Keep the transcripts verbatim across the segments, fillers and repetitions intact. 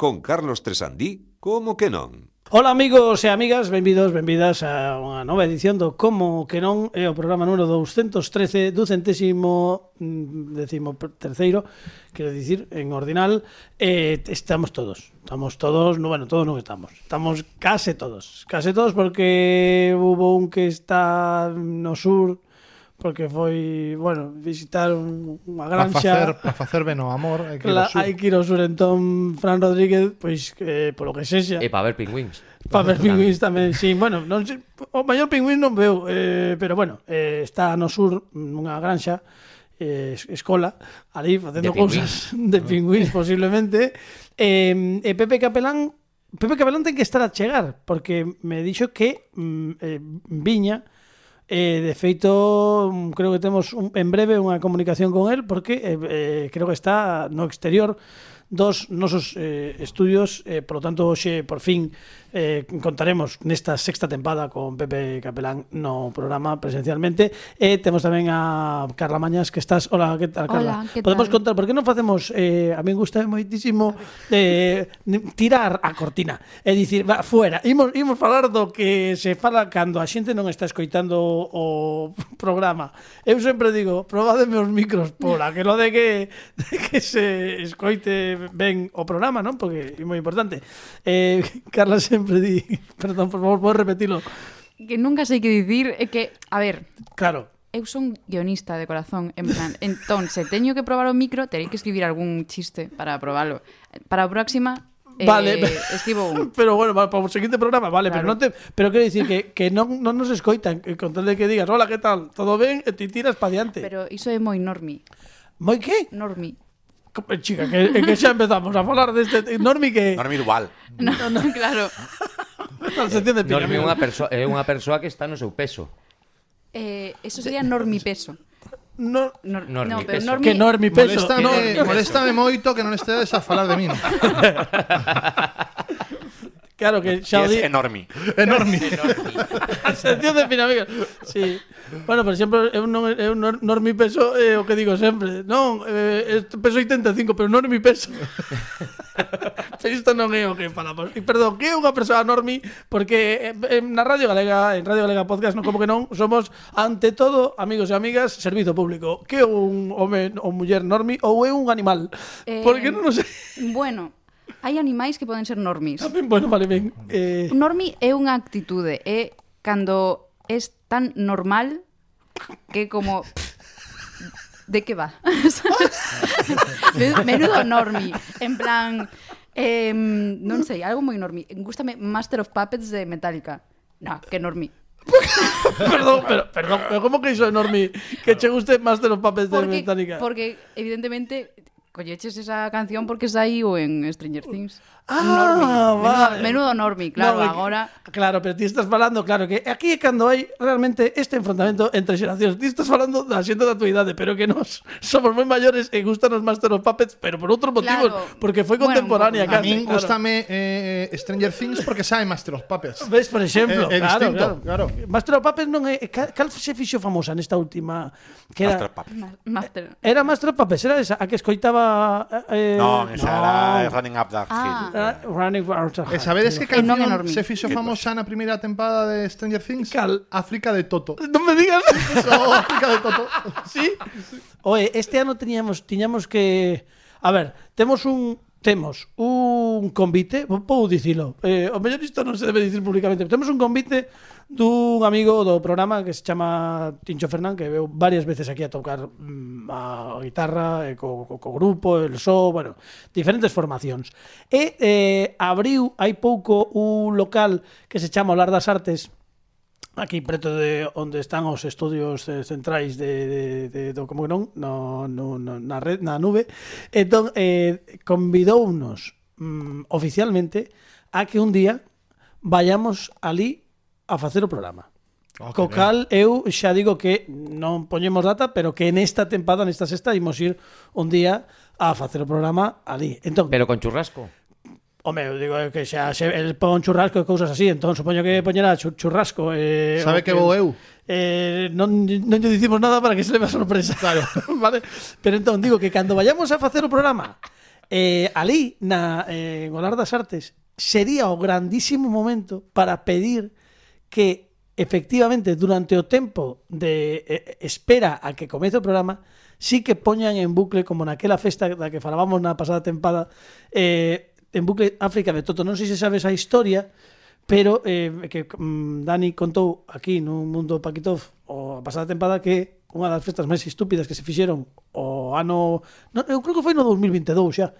con Carlos Tresandí, como que non. Ola amigos e amigas, benvidos, benvidas a unha nova edición do Como que non, é o programa número doscientos trece do centésimo décimo terceiro, quero dicir, en ordinal, eh, estamos todos, estamos todos, no, bueno, todos non estamos, estamos case todos, case todos porque hubo un que está no sur, porque foi, bueno, visitar unha granxa para facer ben o amor, hai que ir Cla- ao sur. hai que ir ao sur. Entón Fran Rodríguez, pois eh, polo que sexa, E para ver pingüins. para ver pingüins tamén, sí, bueno, non sei, o maior pingüín non veo, eh, pero bueno, eh, está no sur nunha granxa, eh, escola, ali facendo De pingüíns. cousas de pingüíns posiblemente, eh, e Pepe Capelán Pepe Capelán ten que estar a chegar, porque me dixo que mm, eh, viña. Eh, de feito, creo que temos un, en breve unha comunicación con él, porque eh, eh, creo que está no exterior dos nosos eh, estudios, eh, por lo tanto, hoxe, por fin, eh, contaremos nesta sexta tempada con Pepe Capelán no programa presencialmente, e temos tamén a Carla Mañas, que estás... Hola, que tal, Carla? Hola, que Podemos tal? contar, por que non facemos, eh, a mí gusta moitísimo eh, tirar a cortina, é dicir, va, fuera, imos, imos falar do que se fala cando a xente non está escoitando o programa. Eu sempre digo, probademe os micros pola, que lo de que, de que se escoite ben o programa, non? Porque é moi importante. Eh, Carla sempre di, perdón, por favor, podes repetilo. Que nunca sei que dicir, é que, a ver, Claro. eu son guionista de corazón, en plan, entón, se teño que probar o micro, terei que escribir algún chiste para probalo. Para a próxima, eh, Vale. escribo un. Pero bueno, para o seguinte programa, vale, Claro. pero non te, pero quero dicir que que non non nos escoitan, que con tal de que digas, "Hola, que tal? Todo ben?" e ti tiras pa diante. Pero iso é moi normi. Moi que? Normi. Co- Chica, que, que xa empezamos a falar deste Normi que Normi igual. No, no, claro. se entiende pica. Normi é unha persoa, é unha persoa que está no seu peso. Eh, eso sería normi peso. No, Nor Normi no, pero peso. normi... que Normi peso. Moléstame, moléstame moito que non estedes a falar de min. Claro que xa o Que di. é enorme. Enorme. Se entiende, fina amiga. Sí. Bueno, por exemplo, eu non eu non Normi peso é o que digo sempre. Non, eh, peso oitenta e cinco, pero Normi peso. Pero isto non é o que falamos. E perdón, que é unha persoa Normi, porque eh, na Radio Galega, en Radio Galega Podcast, non como que non, somos ante todo, amigos e amigas, servizo público. Que é un home ou muller Normi ou é un animal? Eh, Porque non o sei. Bueno, hai animais que poden ser normis. Tamén, bueno, vale, ben. Eh, Un normi é unha actitude, é cando es tan normal que como de que va? Menudo normi, en plan eh, non sei, algo moi normi. Gústame Master of Puppets de Metallica. No, que normi. perdón, pero, perdón, pero como que iso é Normi? Que che guste Master of Puppets de Porque, Metallica? porque evidentemente colleches esa canción porque saíu en Stranger Things. Ah, Normi. vale. Menudo, menudo normi, claro, No, é que- agora... Claro, pero ti estás falando, claro, que aquí é cando hai realmente este enfrontamento entre xeracións. Ti estás falando da xente da tua idade, pero que nos somos moi maiores e gustanos Master of Puppets, pero por outros motivos, Claro. porque foi Bueno, contemporánea un pouco. A casi. min claro. gustame eh, Stranger Things porque sabe Master of Puppets. Ves, por exemplo, É- é claro, distinto, claro. claro. Master of Puppets non é... Cal, cal se fixo famosa nesta última? Que era, Master of Puppets. Ma- Master. era Master of Puppets, era esa, a que escoitaba... Eh, Non, esa no. era Running Up That Hill. Ah. Era Running Out of E sabedes que E non canción enorme. se fixo famosa na primeira tempada de Stranger Things? Cal? África de Toto. Non me digas... Eso, África de Toto. Sí. Oye, este ano teníamos tiñamos que a ver, temos un temos un convite, vou dicilo. Eh, o mellor isto non se debe dicir públicamente. Temos un convite dun amigo do programa que se chama Tincho Fernán, que veu varias veces aquí a tocar mm, a guitarra, e co, co, co grupo, el so, bueno, diferentes formacións. E eh, abriu hai pouco un local que se chama Olar das Artes, aquí preto de onde están os estudios eh, centrais de, de, de do como que non no, no, no, na red, na nube. Entón eh, convidounos mm, oficialmente a que un día vayamos ali a facer o programa. Oh, Co que cal eu xa digo que non poñemos data, pero que nesta tempada, nesta sexta, imos ir un día a facer o programa ali. Entón, Pero con churrasco. Home, eu digo que xa se el pon churrasco e cousas así, entón supoño que poñerá chu- churrasco eh, Sabe o que vou eu? Eh, non, non lle dicimos nada para que se leve a sorpresa. Claro. Vale? Pero entón digo que cando vayamos a facer o programa Eh, ali, na eh, Golar das Artes, sería o grandísimo momento para pedir que efectivamente durante o tempo de eh, espera a que comece o programa sí que poñan en bucle, como naquela festa da que falábamos na pasada tempada, eh, en bucle África de Toto. Non sei se sabes a historia, pero eh, que mm, Dani contou aquí no Mundo Paquitov o a pasada tempada que unha das festas máis estúpidas que se fixeron o ano... No, eu creo que foi no dos mil veintidous xa.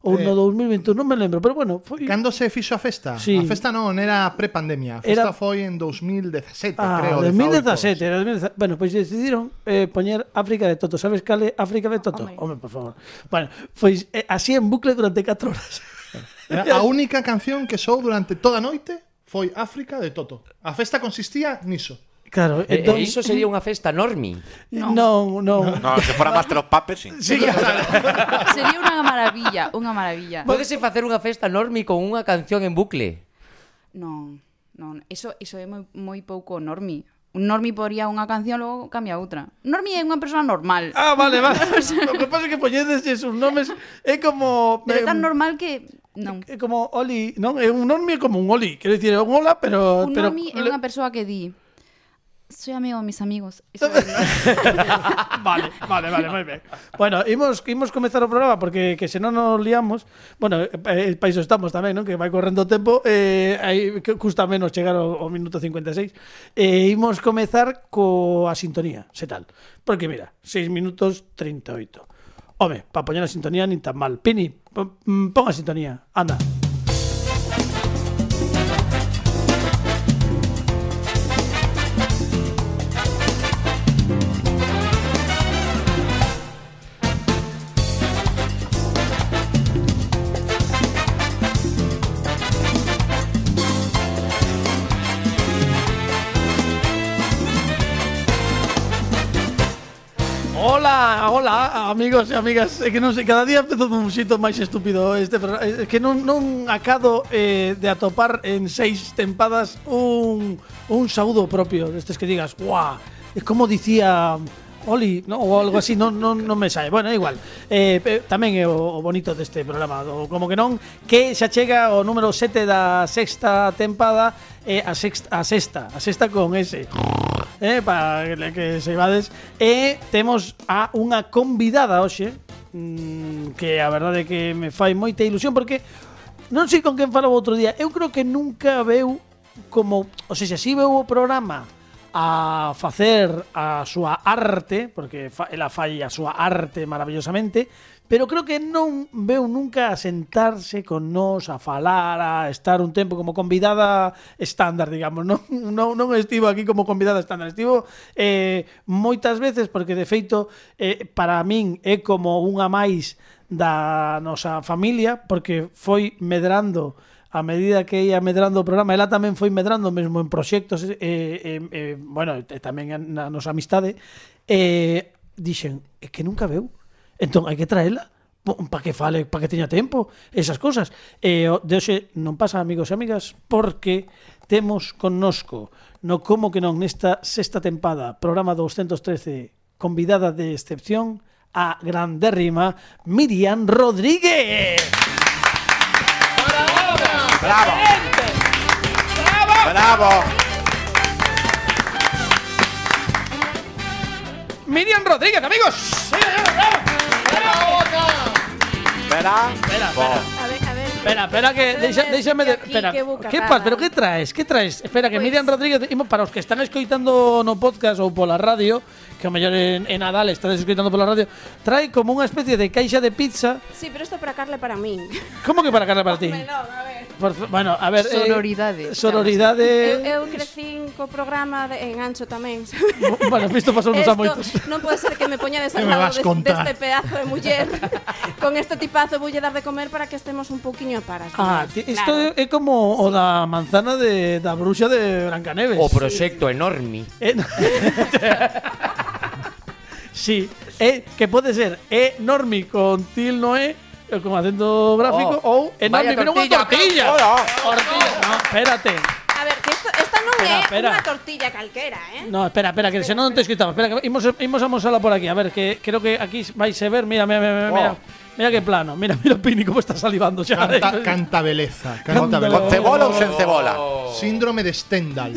Ou Eh, no dos mil veintiuno, non me lembro, pero bueno, foi... Cando se fixo a festa? Sí. A festa non, era pre-pandemia. A festa Era- foi en dos mil dezasete, Ah, creo. dos mil dezaoito. dezasete, era dos mil dezasete. Bueno, pois pues decidiron eh, poñer África de Toto. Sabes cal é África de Toto? Home. Home, por favor. Bueno, pois eh, así en bucle durante catro horas. A única canción que sou durante toda a noite foi África de Toto. A festa consistía niso. Claro, E, entón... e iso sería unha festa normi. Non, non. No. No, se fuera Master of Puppets, sí. Sí, claro. Sería unha maravilla, unha maravilla. Pódese facer unha festa normi con unha canción en bucle. Non, non, iso, iso é moi, moi pouco normi. Un normi poría unha canción, logo cambia outra. Normi é unha persoa normal. Ah, vale, vale. O que pasa é que poñedes esos nomes é como... Pero é eh, tan normal que non. É como Oli, non? É un normi é como un Oli. Quero dicir, é un hola, pero... Un pero normi é unha persoa que di soy amigo de mis amigos. Iso é Vale, vale, vale, moi ben. Bueno, imos, imos comezar o programa porque que se non nos liamos, bueno, eh, para iso estamos tamén, non? Que vai correndo o tempo, eh, aí que custa menos chegar ao, ao minuto cincuenta e seis. Eh, imos comezar coa sintonía, se tal. Porque mira, seis minutos treinta e oito. Home, para poñer a sintonía nin tan mal. Pini, pon pon a sintonía, anda. Hola, hola, amigos e amigas. É que non sei, cada día empezo dun xito máis estúpido este programa. É que non, non acado eh, de atopar en seis tempadas un, un saúdo propio destes que digas, guau, é como dicía Oli, no, ou algo así, non, non, non me sae. Bueno, é igual. Eh, eh, tamén é o, o bonito deste programa, o, como que non, que xa chega o número sete da sexta tempada, eh, a sexta, a sexta, a sexta con ese. Eh, para que se ibades. E temos a unha convidada hoxe, mmm, que a verdade é que me fai moita ilusión, porque non sei con quen falaba outro día. Eu creo que nunca veu como, ou seja, si veu o programa a facer a súa arte, porque fa, ela fai a súa arte maravillosamente, pero creo que non veu nunca a sentarse con nós, a falar, a estar un tempo como convidada estándar, digamos. Non, non, non estivo aquí como convidada estándar, estivo eh, moitas veces, porque de feito eh, para min é como unha máis da nosa familia, porque foi medrando a medida que ia medrando o programa. Ela tamén foi medrando mesmo en proxectos, e, e, e, bueno, e tamén na nosa amistade, e dixen, é que nunca veu, entón hai que traela para que fale, para que teña tempo, esas cosas. E de hoxe non pasa, amigos e amigas, porque temos connosco no Como que non nesta sexta tempada, programa doscientos trece, convidada de excepción, a grandérrima Miriam Rodríguez. ¡Bravo! ¡Bravo! Miriam Rodríguez, amigos. Sí, bravo. Espera. Espera, Bo. espera. A ver, a ver. Espera, espera que deixa, déxame de, Aquí, espera. que boca Que cara. pasa? Pero que traes? Que traes? Espera que Pois- Miriam Rodríguez, imos para os que están escoitando no podcast ou pola radio, que ao mellor en, en Nadal estades escoitando pola radio, trae como unha especie de caixa de pizza. Sí, pero esto para Carla e para min. Como que para Carla para ti? Melón, a ver. Por, bueno, a ver, Sororidade, eh, sororidade. Eu, eu crecín co programa de, en Ancho tamén. Bueno, isto pasou nos a moitos. Non pode ser que me poñades Que al me lado vas des, contar? deste pedazo de muller. Con este tipazo voulle dar de comer para que estemos un pouquiño a paras. Ah, Claro. ti- isto é, é como o da manzana de da bruxa de Brancaneves. O proxecto enormi. Eh, no. Sí, é, que pode ser enorme con til no é, eh, con acento gráfico, Oh, ou enorme, vaya pero unha tortilla, tortilla. Hola. Tortilla, no, espérate. A ver, que esto, esta non Espera, é espera. unha tortilla calquera, eh? No, espera, espera, que se non te escoitamos. Espera, que imos, imos a mosala por aquí. A ver, que creo que aquí vais a ver. Mira, mira, mira, mira. Oh. Mira que plano. Mira, mira Pini como está salivando xa. Canta, canta beleza. Canta Canta beleza. ¿Con cebola ou sen cebola? Síndrome de Stendhal.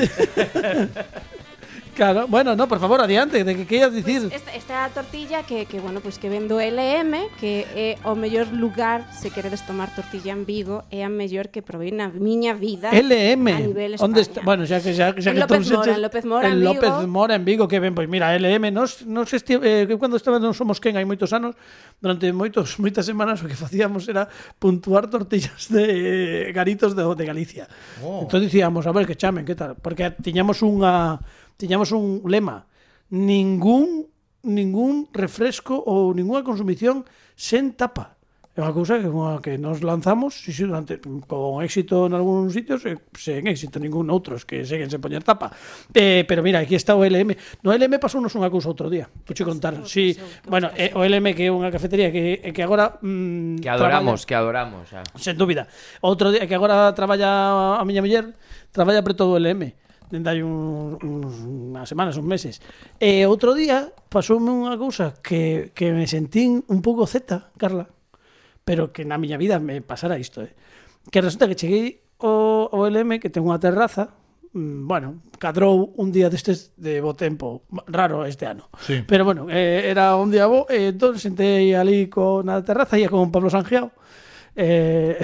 Claro, bueno, no, por favor, adiante, de que querías dicir. Esta, esta tortilla que, que bueno, pues que vendo L M, que é o mellor lugar se queredes tomar tortilla en Vigo, é a mellor que probei na miña vida. L M. A nivel Onde España. está? Bueno, xa que xa, xa En que López todos Mora, eches- en López Mora, en en Vigo. López Mora en Vigo, que ben, pois mira, L M, nos nos esti eh, que cando estaba non somos quen hai moitos anos, durante moitos moitas semanas o que facíamos era puntuar tortillas de eh, garitos de, de Galicia. Oh. Entón dicíamos, a ver que chamen, que tal, porque tiñamos unha tiñamos un lema, ningún ningún refresco ou ninguna consumición sen tapa. É unha cousa que, unha que nos lanzamos sí, sí, durante, con éxito en algúns sitios e sen éxito en ningún outros que seguen sen poñer tapa. Eh, pero mira, aquí está o L M. No L M pasounos unha cousa outro día. Puche contar. Sí, bueno, eh, o L M que é unha cafetería que, que agora mm, Que adoramos, traballa- que adoramos. Xa. sen dúbida. Outro día que agora traballa a miña muller, traballa preto do L M. Dende hai un, un, unhas semanas, uns meses. E outro día pasoume unha cousa que, que me sentín un pouco zeta, Carla, pero que na miña vida me pasara isto, eh. Que resulta que cheguei ao, ao L M, que ten unha terraza, mm, bueno, cadrou un día destes de bo tempo, raro este ano. Sí. Pero bueno, eh, era un día bo, e entón sentei ali con na terraza, ia con Pablo Sangiao, eh,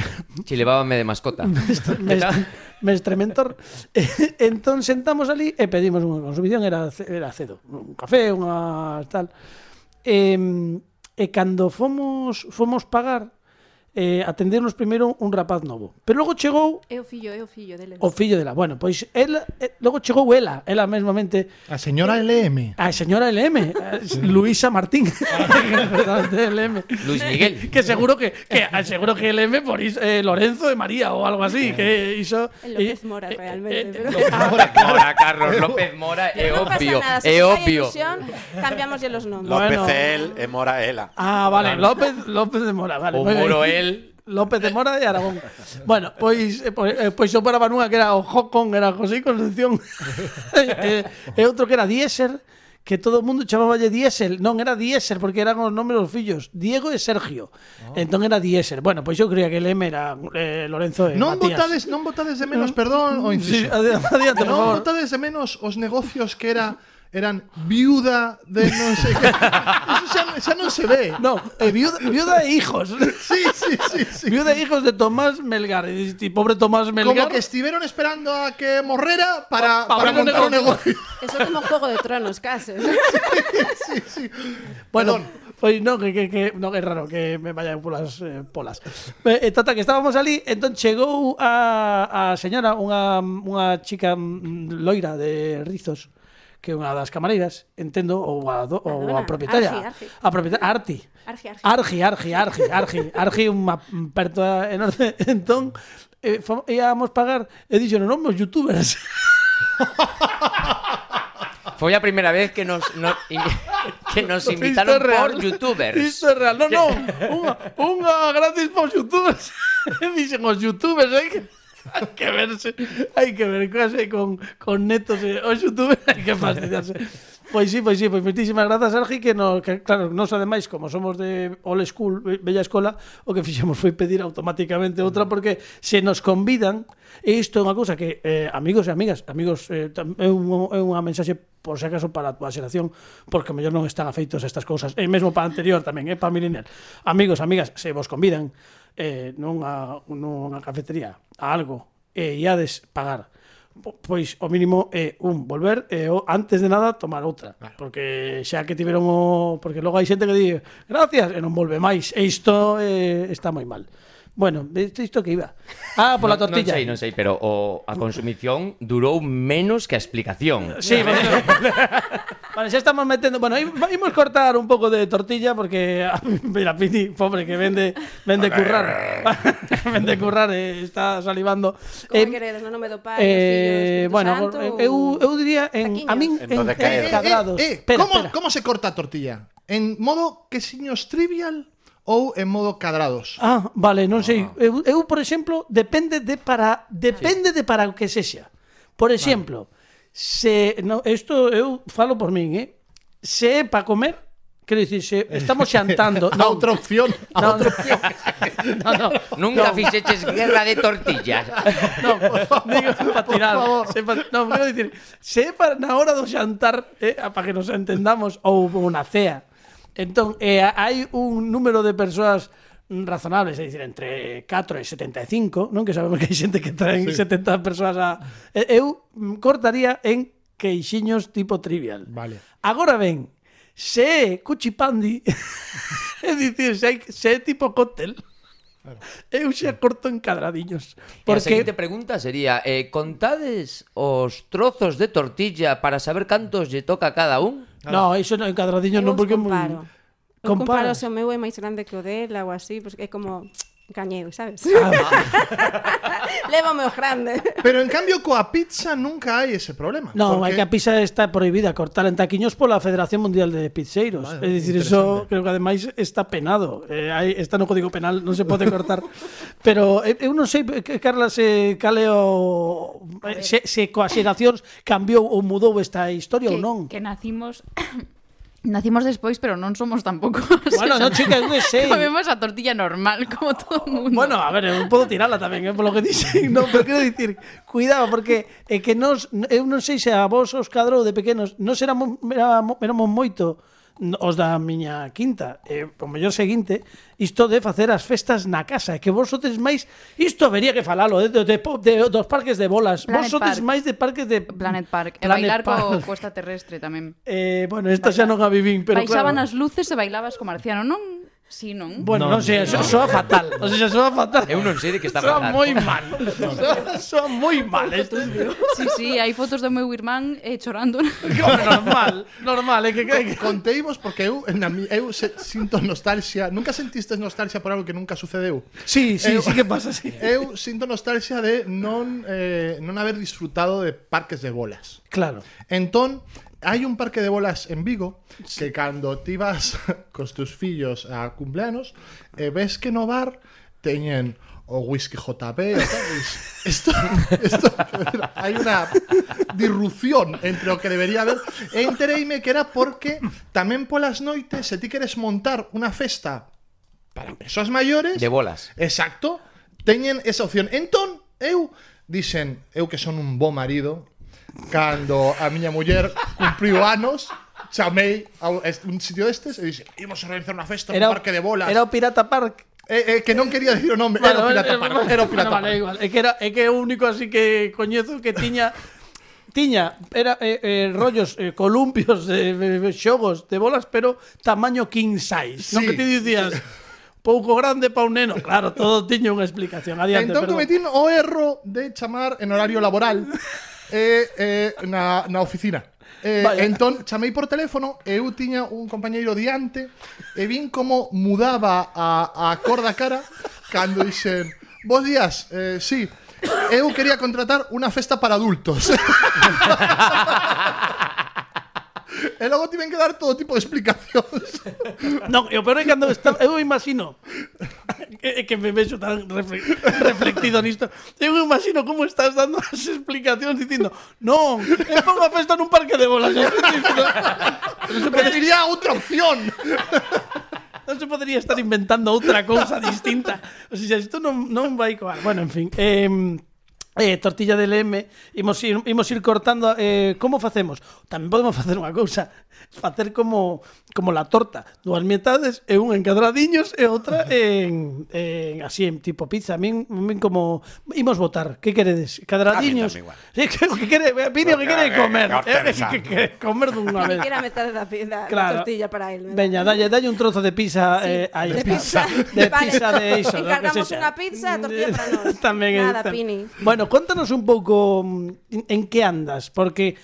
Chilevábame de mascota. mestre, mestre mentor. Entón sentamos ali e pedimos unha consumición, era, ce- era cedo, un café, unha tal. E, e cando fomos fomos pagar, eh, atendernos primeiro un rapaz novo. Pero logo chegou É o fillo, é o fillo dele. o fillo dela. Bueno, pois ela, eh, logo chegou ela, ela mesmamente, A señora L M. a señora L M, eh, Luisa Martín. L M. Luis Miguel. Que seguro que, que seguro que L M por iso, eh, Lorenzo de María ou algo así, que iso El López eh, Mora, eh, realmente. eh, pero... Mora, Carlos López Mora, é no pasa obvio, nada, se é se fai obvio. ilusión, cambiamoslle los nombres. López Bueno. él e Mora ela. Ah, vale, López López de Mora, vale. O moi ben. Moro el. López de Mora de Aragón. Bueno, pois eh, pois, eh, pois eu paraba nunha que era o Jocon, era José Concepción. e, e outro que era Diesel, que todo o mundo chamáballe Diesel. Non era Diesel porque eran os nomes dos fillos, Diego e Sergio. Oh. Entón era Diesel. Bueno, pois eu creía que el M era eh, Lorenzo e Non Matías. votades, non votades de menos, perdón, o Sí, inciso. adi- adiante, por Non favor. votades de menos os negocios que era eran viuda de non sei que. Eso xa, xa non se ve. No, eh, viuda, viuda e hijos. Sí, sí, sí, sí. Viuda e hijos de Tomás Melgar. E diste, pobre Tomás Melgar. Como que estuvieron esperando a que morrera para, Pa- pa para abrir un montar un negocio. Eso é como Juego de Tronos, case. Sí, sí. Bueno, Perdón. pois no, que, que, que no, que é raro que me vayan polas eh, polas. Eh, tata, que estábamos ali, entón chegou a, a señora, unha, unha chica mm, loira de rizos, que é unha das camareiras, entendo, ou a, do, ou a Perdona, propietaria. Argi, Argi. A propietaria, Arti. Argi, argi. Argi, Argi, Argi, Argi, Argi, unha perta enorme. Entón, eh, fom- íamos pagar, e dixeron, non, os youtubers. Foi a primeira vez que nos, no, in, que nos Isto invitaron é real. por youtubers. Isto é real. Non, non, unha, unha gratis para os youtubers. Dixen os youtubers, hai que, hai que verse, hai que ver case con, con netos e os youtubers, hai que fastidiarse. Pois sí, pois sí, pois moitísimas grazas, Sergi, que, no, que claro, nos ademais, como somos de old school, be- bella escola, o que fixemos foi pedir automáticamente outra, porque se nos convidan, e isto é unha cousa que, eh, amigos e amigas, amigos, eh, tam- é, un, é unha mensaxe por se acaso para a túa xeración, porque mellor non están afeitos a estas cousas, e mesmo para a anterior tamén, é para a millennial. Amigos, amigas, se vos convidan eh, nunha, nunha cafetería a algo e iades pagar, po- pois o mínimo é un volver e o antes de nada tomar outra, claro. Porque xa que tiveron o, porque logo hai xente que di gracias e non volve máis, e isto eh, está moi mal. Bueno, isto, isto que iba. Ah, pola Non- tortilla. Non sei, non sei, pero o, a consumición durou menos que a explicación. Sí, bueno, vale, xa estamos metendo. Bueno, imos cortar un pouco de tortilla porque mira, Pini, pobre que vende vende currar. Vende currar e está salivando. Como queredes, no nome do Pai, eh, do Fillo, do bueno, Espírito Santo, eu, ou- eu diría en a min en, Entonces, en ¿qué? cadrados. Eh, eh, Espera, ¿cómo, espera. ¿Cómo se corta a tortilla? ¿En modo quesiños trivial ou en modo cadrados? Ah, vale, non sei. Eu, eu por exemplo, depende de para depende de para o que sexa. Por exemplo, se no, isto eu falo por min, eh. Se é para comer, quero dicir, se estamos xantando, A non, outra opción. A non, outra opción. non, non, Nunca fixeches guerra de tortillas. non, digo, para tirar, se pa, non, quero dicir, se para na hora do xantar, eh, para que nos entendamos, ou unha cea, entón, eh, hai un número de persoas razonables, é dicir, entre catro e setenta e cinco, non? Que sabemos que hai xente que traen sí. setenta persoas a... Eu cortaría en queixiños tipo Trivial. Vale. Agora ben, se é cuchipandi, é dicir, se, hai, se é tipo cóctel, claro. Eu xa corto en cadradiños. Porque... A Porque... seguinte pregunta sería, eh, contades os trozos de tortilla para saber cantos lle toca a cada un? No, iso non en cadradiños non, porque é moi... comparo. Eu comparo Comparas? se o meu é máis grande que o dela ou así, porque é como cañedo, sabes? Ah, Leva o meu grande. Pero en cambio coa pizza nunca hai ese problema. no, porque... é que a pizza está prohibida cortar en taquiños pola Federación Mundial de Pizzeiros. Vale, é dicir, eso creo que ademais está penado. Eh, hai, está no Código Penal, non se pode cortar. Pero eh, eu non sei, Carla, se cale o... eh, se, se coas xeracións cambiou ou mudou esta historia que, ou non. que nacimos nacimos despois, pero non somos tampouco. Bueno, non, chica, eu que sei. Comemos a tortilla normal, como todo o mundo. Bueno, a ver, eu podo tirala tamén, eh, polo que dixen, non, pero quero dicir, cuidado, porque é que nos, eu non sei se a vos os cadrou de pequenos, nos éramos, éramos, éramos moito os da miña quinta, e o mellor seguinte, isto de facer as festas na casa, e que vos sodes máis, isto habería que falalo, de, de, de, de dos parques de bolas, Planet vos sodes Park. máis de parques de... Planet Park. E Planet bailar Park. co costa terrestre tamén. Eh, bueno, esta xa non a vivín, pero Baixaban claro. as luces e bailabas co marciano, non? Sí, non? Bueno, non, non sei, no, soa fatal, o sea, soa fatal. Eu non sei de que está Soa falando. moi mal, soa, soa moi mal isto, tío. Sí, sí, hai fotos do meu irmán eh, chorando. Normal, normal, é que... que... Conteivos porque eu, na, mi- eu se, sinto nostalgia. Nunca sentistes nostalgia por algo que nunca sucedeu? Sí, sí, Eu- sí que pasa, sí. Eu sinto nostalgia de non eh, non haber disfrutado de parques de bolas. Claro. Entón, hai un parque de bolas en Vigo que cando ti vas cos teus fillos a cumpleanos e ves que no bar teñen o whisky J B o tal, esto, esto, hai unha disrupción entre o que debería haber e entereime que era porque tamén polas noites se ti queres montar unha festa para persoas maiores De bolas. exacto, teñen esa opción. Entón, eu dixen, eu que son un bo marido, cando a miña muller cumpriu anos, chamei a un sitio destes e dixen, imos a organizar unha festa Era no o- parque de bolas. Era o Pirata Park. Eh, eh, que non quería decir o nome, era o Pirata Park. Era o Pirata Bueno, vale, Park. igual. É que era é que é o único así que coñezo que tiña tiña era eh, eh, rollos eh, columpios de eh, xogos de bolas, pero tamaño king size. Non Sí. que ti dicías pouco grande pa un neno. Claro, todo tiña unha explicación. Adiante, Entón perdón. cometín o erro de chamar en horario laboral eh, eh, na, na oficina. Eh, Vaya. entón chamei por teléfono e eu tiña un compañeiro diante e vin como mudaba a, a cor da cara cando dixen, bos días, eh, sí, eu quería contratar unha festa para adultos. E logo tiven que dar todo tipo de explicacións. Non, e o peor é cando está, eu imagino que, que me vexo tan refle, reflectido nisto. Eu imagino como estás dando as explicacións dicindo, non, é para unha festa nun parque de bolas. Non se, podría, Preferiría outra opción. non se podría estar inventando outra cousa distinta. O sea, isto non, non vai coar. Bueno, en fin, eh, Eh, tortilla de L M, imos ir, imos ir cortando eh, como facemos? Tamén podemos facer unha cousa, facer como como la torta, dúas metades e unha en cadradiños e outra en, en así en tipo pizza. A min, a min como imos votar, que queredes? Cadradiños. A mí tamén igual. Sí, que, que quere, Pinio que quere comer, Que eh, hortaliza. que, que comer dunha Que vez. quiera meter da, pi- da, Claro. da tortilla para él. ¿verdad? Veña, dalle, dalle un trozo de pizza Sí, eh, aí de está. pizza. De Vale. pizza de iso, lo que Encargamos sexa. unha pizza, tortilla para nós. Tamén é- Nada, tam- Pini. Bueno, contanos un pouco mm, en que andas, porque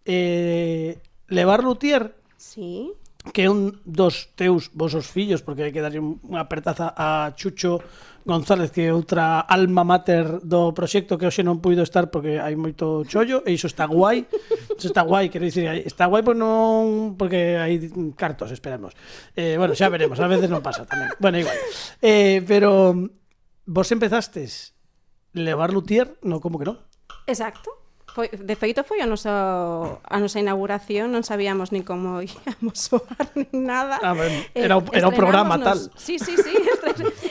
eh, levar luthier, Sí. que é un dos teus vosos fillos, porque hai que darlle unha apertaza a Chucho González, que é outra alma mater do proxecto, que hoxe non puido estar porque hai moito chollo, e iso está guai. Iso está guai, quero dicir, está guai porque non porque hai cartos, esperemos. Eh, bueno, xa veremos, a veces non pasa tamén. Bueno, igual. Eh, pero vos empezastes levar luthier, no, como que non? Exacto. Foi, de feito foi a nosa, a nosa inauguración, non sabíamos ni como íamos soar nin nada. Ah, ben, era, o, era o programa tal. Sí, sí, sí,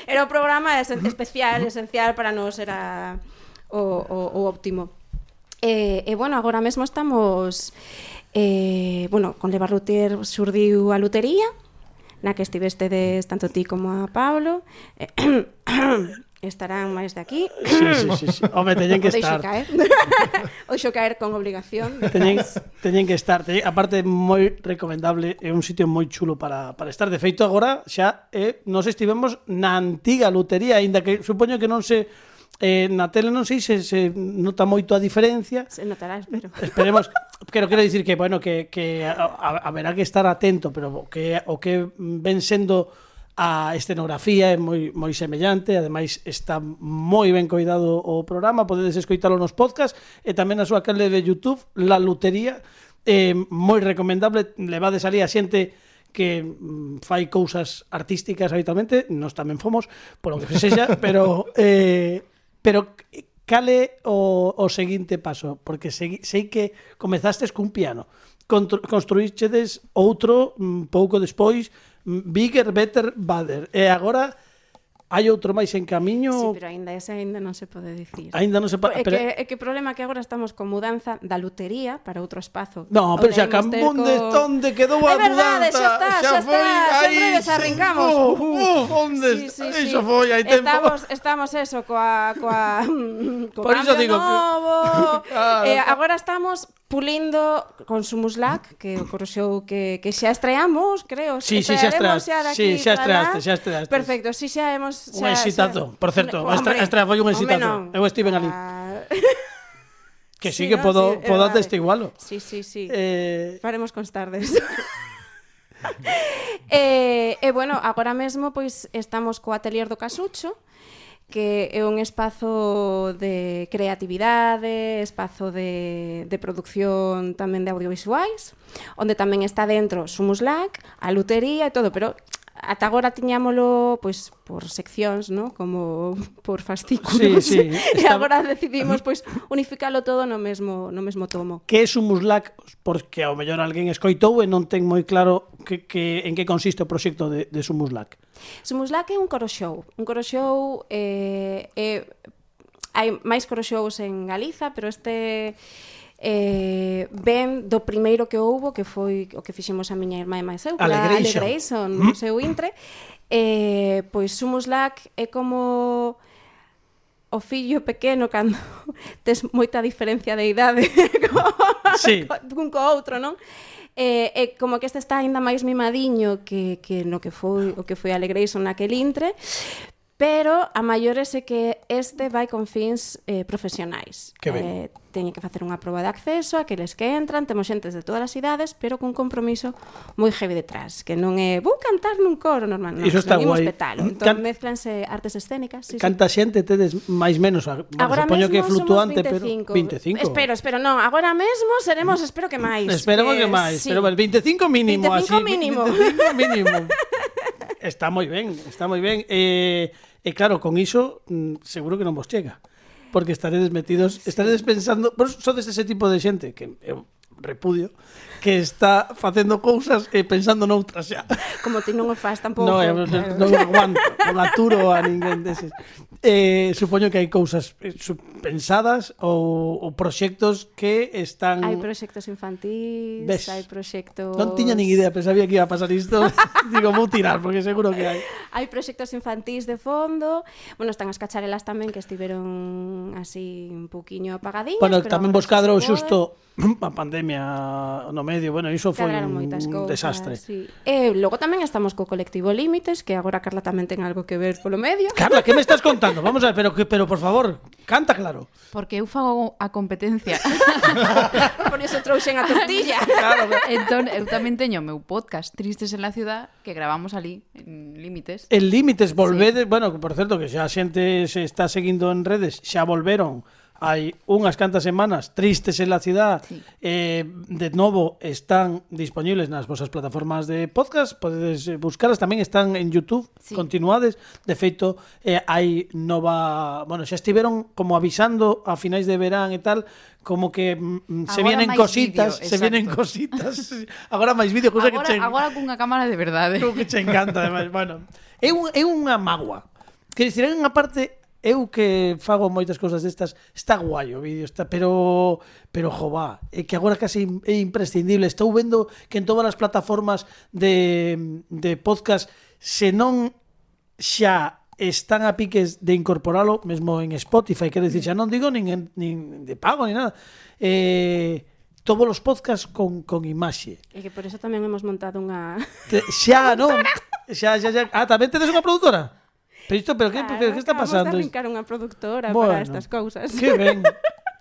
era o programa especial, esencial para nós, era o, o, o óptimo. E, e bueno, agora mesmo estamos, eh, bueno, con Leva Rutier xurdiu a lutería, na que estivestedes tanto ti como a Pablo. Estarán máis de aquí. Sí, sí, sí, sí. Home, teñen que estar. O deixo caer. O deixo caer con obligación. Teñen, teñen que estar. Teñen, aparte, moi recomendable. É un sitio moi chulo para, para estar. De feito, agora xa eh, nos estivemos na antiga lutería, aínda que supoño que non se... Eh, na tele non sei se, se nota moito a diferencia. Se notará, espero. Esperemos. Pero quero dicir que, bueno, que, que a, a, haberá que estar atento, pero que o que ven sendo a escenografía é moi moi semellante, ademais está moi ben coidado o programa, podedes escoitalo nos podcast e tamén na súa canle de YouTube, La Lutería, eh, moi recomendable, levades ali a xente que mm, fai cousas artísticas habitualmente, nós tamén fomos, por o que sexa, pero eh, pero cale o, o seguinte paso, porque sei, sei que comezastes cun piano, construíchedes outro mm, pouco despois, Bigger, Better, Badder. E agora hai outro máis en camiño. Sí, pero aínda ese aínda non se pode dicir. Aínda non se pode. É pero... que, é que o problema é que agora estamos con mudanza da lutería para outro espazo. No, pero xa cambón de co... onde quedou a é verdade, mudanza. Xa está, xa, xa está. Sempre desarrincamos. Uh, uh, onde sí, sí, iso sí. foi hai tempo. Estamos, estamos eso coa coa co Por iso digo novo. Que... Claro. Eh, agora estamos pulindo con Sumuslac, que o correxou que, que xa estreamos, creo. Sí, sí, xa estreaste. Sí, xa estreaste, xa estreaste. Perfecto, si xa hemos... Un exitazo, por certo. A estrea foi un exitazo. Eu estive ali. Que sí, sí que no, podo, sí, podo atestigualo. Sí, sí, sí. Eh... Faremos constardes. e, e, bueno, agora mesmo pois estamos co Atelier do Casucho, que é un espazo de creatividade, espazo de, de producción tamén de audiovisuais, onde tamén está dentro Sumuslac, a lutería e todo, pero ata agora tiñámolo pois por seccións, ¿no? Como por fascículos. Sí, sí. E está... agora decidimos pois unificalo todo no mesmo no mesmo tomo. Que é Sumuslac? Porque ao mellor alguén escoitou e non ten moi claro que, que, en que consiste o proxecto de, de Sumuslac. Sumuslac é un coro show. Un coro show eh, eh, hai máis coro shows en Galiza, pero este eh, ben do primeiro que houbo, que foi o que fixemos a miña irmá e máis eu, Alegration, Alegration no seu intre. Eh, pois Sumuslac é como o fillo pequeno cando tes moita diferencia de idade sí. cun co outro, non? Eh, eh, como que este está aínda máis mimadiño que, que no que foi o que foi Alegration naquel intre, pero a maiores é que este vai con fins eh, profesionais. Que ben. Eh, teñen que facer unha proba de acceso, aqueles que entran, temos xentes de todas as idades, pero cun compromiso moi heavy detrás, que non é vou cantar nun coro normal, non, iso está guai. Petalo. Entón Can... mezclanse artes escénicas. Sí, Canta sí. xente tedes máis menos, bueno, agora supoño que é flutuante, pero vinte e cinco. Espero, espero, non, agora mesmo seremos, espero que máis. Esperemos que, que máis, sí. pero vinte e cinco mínimo, vinte e cinco así, mínimo. vinte e cinco mínimo. Está moi ben, está moi ben. Eh, e claro, con iso seguro que non vos chega. Porque estaredes metidos, estaredes pensando, vos sodes ese tipo de xente que eu repudio, que está facendo cousas e pensando noutras xa. Como ti non o faz tampouco. No, eu claro. non aguanto, non aturo a ninguén deses. Eh, supoño que hai cousas pensadas ou, ou proxectos que están... Hai proxectos infantís, ¿ves? Hai proxectos... Non tiña nin idea, pensaba que iba a pasar isto. Digo, vou tirar, porque seguro que hai. Hai proxectos infantís de fondo. Bueno, están as cacharelas tamén que estiveron así un pouquiño apagadillas. Bueno, tamén vos cadrou xusto a pandemia no medio. Bueno, iso foi un cousas, desastre. Sí. E logo tamén estamos co colectivo Límites, que agora Carla tamén ten algo que ver polo medio. Carla, que me estás contando? Vamos a ver, pero, pero por favor, canta claro. Porque eu fago a competencia. Por iso trouxen a tortilla. Claro, entón, eu tamén teño o meu podcast Tristes en la ciudad, que gravamos ali en Límites. En Límites volvede, sí. Bueno, por certo, que xa a xente se está seguindo en redes, xa volveron hai unhas cantas semanas tristes en la ciudad, Sí. eh, de novo están disponibles nas vosas plataformas de podcast, podedes eh, buscalas, tamén están en YouTube, Sí. continuades, de feito eh, hai nova, bueno, xa estiveron como avisando a finais de verán e tal, como que mm, se Agora vienen máis cositas, vídeo, se vienen exacto. cositas. Agora máis vídeo, cousa que Agora, che agora cunha cámara de verdade. Creo que che encanta, ademais. Bueno, é, un, é unha magua. Que dicir, en unha parte, eu que fago moitas cousas destas, está guai o vídeo, está, pero, pero jová, é que agora casi é imprescindible. Estou vendo que en todas as plataformas de, de podcast, se non xa están a piques de incorporalo, mesmo en Spotify, quero dicir, xa non digo nin, en, nin de pago, ni nada. Eh, todos os podcasts con, con imaxe. E que por eso tamén hemos montado unha... Te, xa, non? Xa, xa, xa. Ah, tamén tedes unha produtora? Pero isto, pero que, Claro, pero que está acabamos pasando? de arrincar unha productora Bueno, para estas cousas. Que ben.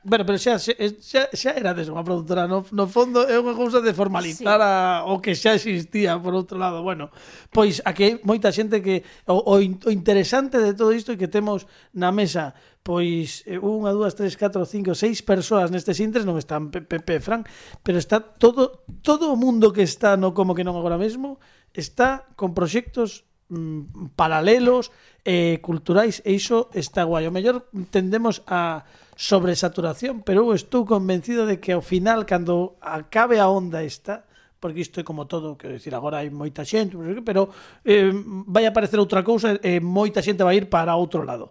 Bueno, pero xa, xa, xa, xa erades unha produtora, no, no fondo é unha cousa de formalizar Sí. a, o que xa existía, por outro lado. Bueno, pois aquí hai moita xente que o, o, in- o interesante de todo isto é que temos na mesa pois eh, unha, dúas, tres, catro, cinco, seis persoas nestes intres, non están Pepe, Pepe, Fran, pero está todo todo o mundo que está no Como que non agora mesmo, está con proxectos mm, paralelos, eh, culturais, e iso está guai. O mellor tendemos a sobresaturación, pero eu estou convencido de que ao final, cando acabe a onda esta, porque isto é como todo, quero dicir, agora hai moita xente, pero eh, vai aparecer outra cousa e moita xente vai ir para outro lado.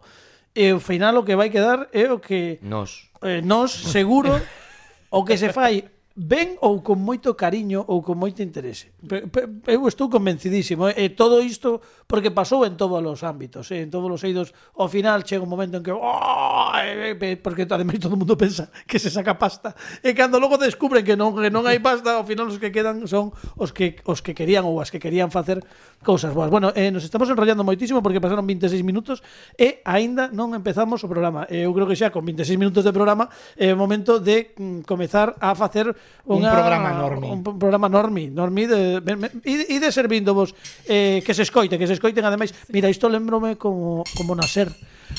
E ao final o que vai quedar é o que Nos. eh, nós, seguro, o que se fai ben ou con moito cariño ou con moito interese. Pe- pe- Eu estou convencidísimo, e todo isto porque pasou en todos os ámbitos, eh, en todos os eidos. Ao final chega un momento en que oh, eh, eh, porque ademais todo o mundo pensa que se saca pasta, e cando logo descubren que non que non hai pasta, ao final os que quedan son os que os que querían ou as que querían facer cousas boas. Bueno, eh, nos estamos enrollando moitísimo porque pasaron veintiséis minutos e aínda non empezamos o programa. Eu creo que xa con veintiséis minutos de programa é o momento de mm, comezar a facer Un unha, programa normi. Un p- programa normi, normi de, me- me- e de servindo vos eh, que se escoite, que se escoiten ademais. Mira, isto lembrome como como nacer.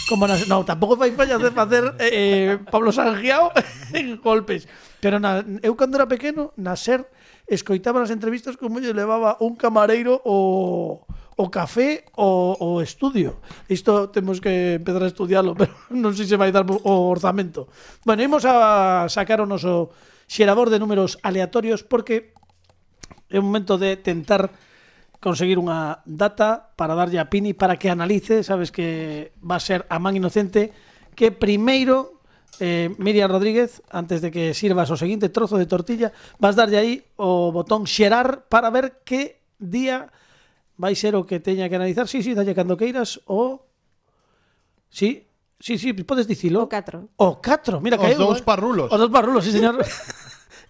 Como nacer. No, tampouco fai falla de facer eh, Pablo Sangiao en golpes. Pero na, eu cando era pequeno, nacer escoitaba nas entrevistas como lle levaba un camareiro o o café o, o estudio. Isto temos que empezar a estudiarlo, pero non sei se vai dar o orzamento. Bueno, imos a sacar o noso xerador de números aleatorios porque é un momento de tentar conseguir unha data para darlle a Pini para que analice, sabes que va a ser a man inocente, que primeiro eh, Miriam Rodríguez, antes de que sirvas o seguinte trozo de tortilla, vas darlle aí o botón xerar para ver que día vai ser o que teña que analizar. Sí, sí, dalle cando queiras o... Sí, sí, sí, podes dicilo. O catro. O catro, mira que Os dous parrulos. Os dous parrulos, sí, señor.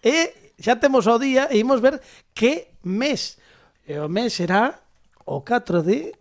E xa temos o día e imos ver que mes. E o mes será o catro de...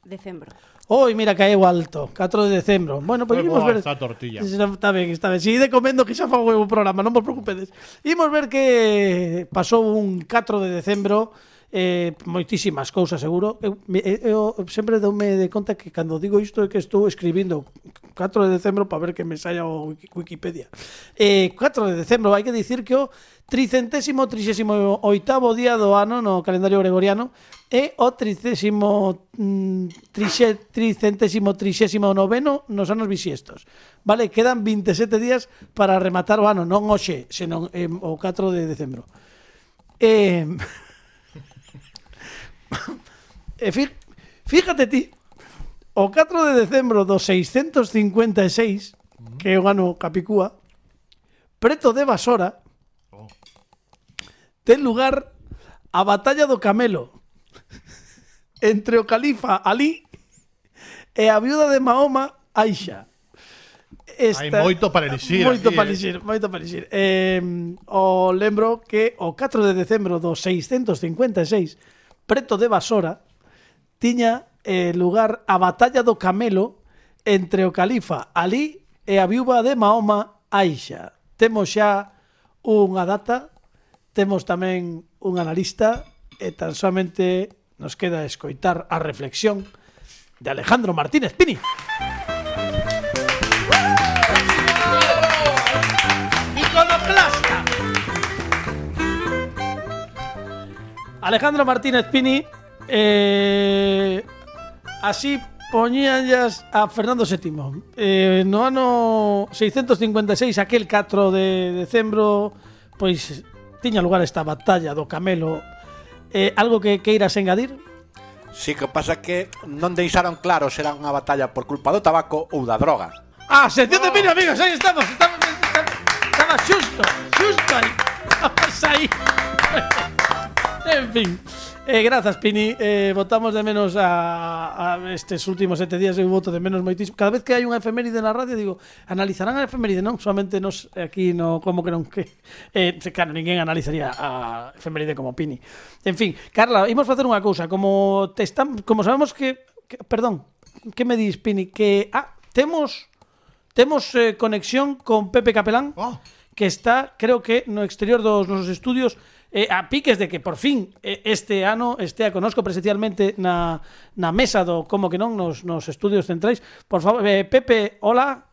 Decembro. Oi, mira, caeu alto. catro de decembro. Bueno, pois Moi imos boa ver... esta tortilla. Está ben, está ben. Sigue comendo que xa fago o programa, non vos preocupedes. Imos ver que pasou un catro de decembro, eh, moitísimas cousas seguro. Eu, eu, eu sempre doume de conta que cando digo isto é que estou escribindo catro de decembro para ver que me saia o Wikipedia. Eh, catro de decembro, hai que dicir que o tricentésimo trixésimo oitavo día do ano no calendario gregoriano e o tricésimo mm, trixe, tricentésimo trixésimo noveno nos anos bisiestos. Vale, quedan veintisiete días para rematar o ano, non hoxe, senón eh, o catro de decembro. Eh, e fí, fíjate ti, o catro de decembro do seiscentos cincuenta e seis, que é o ano Capicúa, preto de Basora, ten lugar a batalla do Camelo entre o califa Ali e a viuda de Mahoma, Aisha. Hai moito para elixir Moito aquí, para eh. elixir, moito para elixir. Eh, o lembro que o catro de decembro do seiscentos cincuenta e seis, preto de Basora, tiña eh, lugar a batalla do Camelo entre o califa Ali e a viúva de Mahoma, Aisha. Temos xa unha data, temos tamén un analista e tan somente nos queda escoitar a reflexión de Alejandro Martínez Pini. Alejandro Martínez Pini eh, así poñíanllas a Fernando séptimo eh, no ano seiscentos cincuenta e seis, aquel catro de decembro, pois tiña lugar esta batalla do Camelo. eh, Algo que queiras engadir? Si que pasa que non deixaron claro se era unha batalla por culpa do tabaco ou da droga. Ah, sección de Pini, amigos, aí estamos, estamos, estamos estaba xusto, xusto aí. Estamos aí. En fin, eh, grazas Pini, eh, votamos de menos a, a estes últimos sete días. Eu voto de menos moitísimo. Cada vez que hai unha efeméride na radio digo, analizarán a efeméride, non? Solamente nos aquí no, como que non que eh, claro, ninguén analizaría a efeméride como Pini. En fin, Carla, imos facer unha cousa. Como te están, como sabemos que, que perdón, que me dis Pini? Que ah, temos temos eh, conexión con Pepe Capelán, Oh. que está, creo que no exterior dos nosos estudios, eh, a piques de que por fin eh, este ano estea conosco presencialmente na, na mesa do como que non nos, nos estudios centrais. Por favor, eh, Pepe, hola.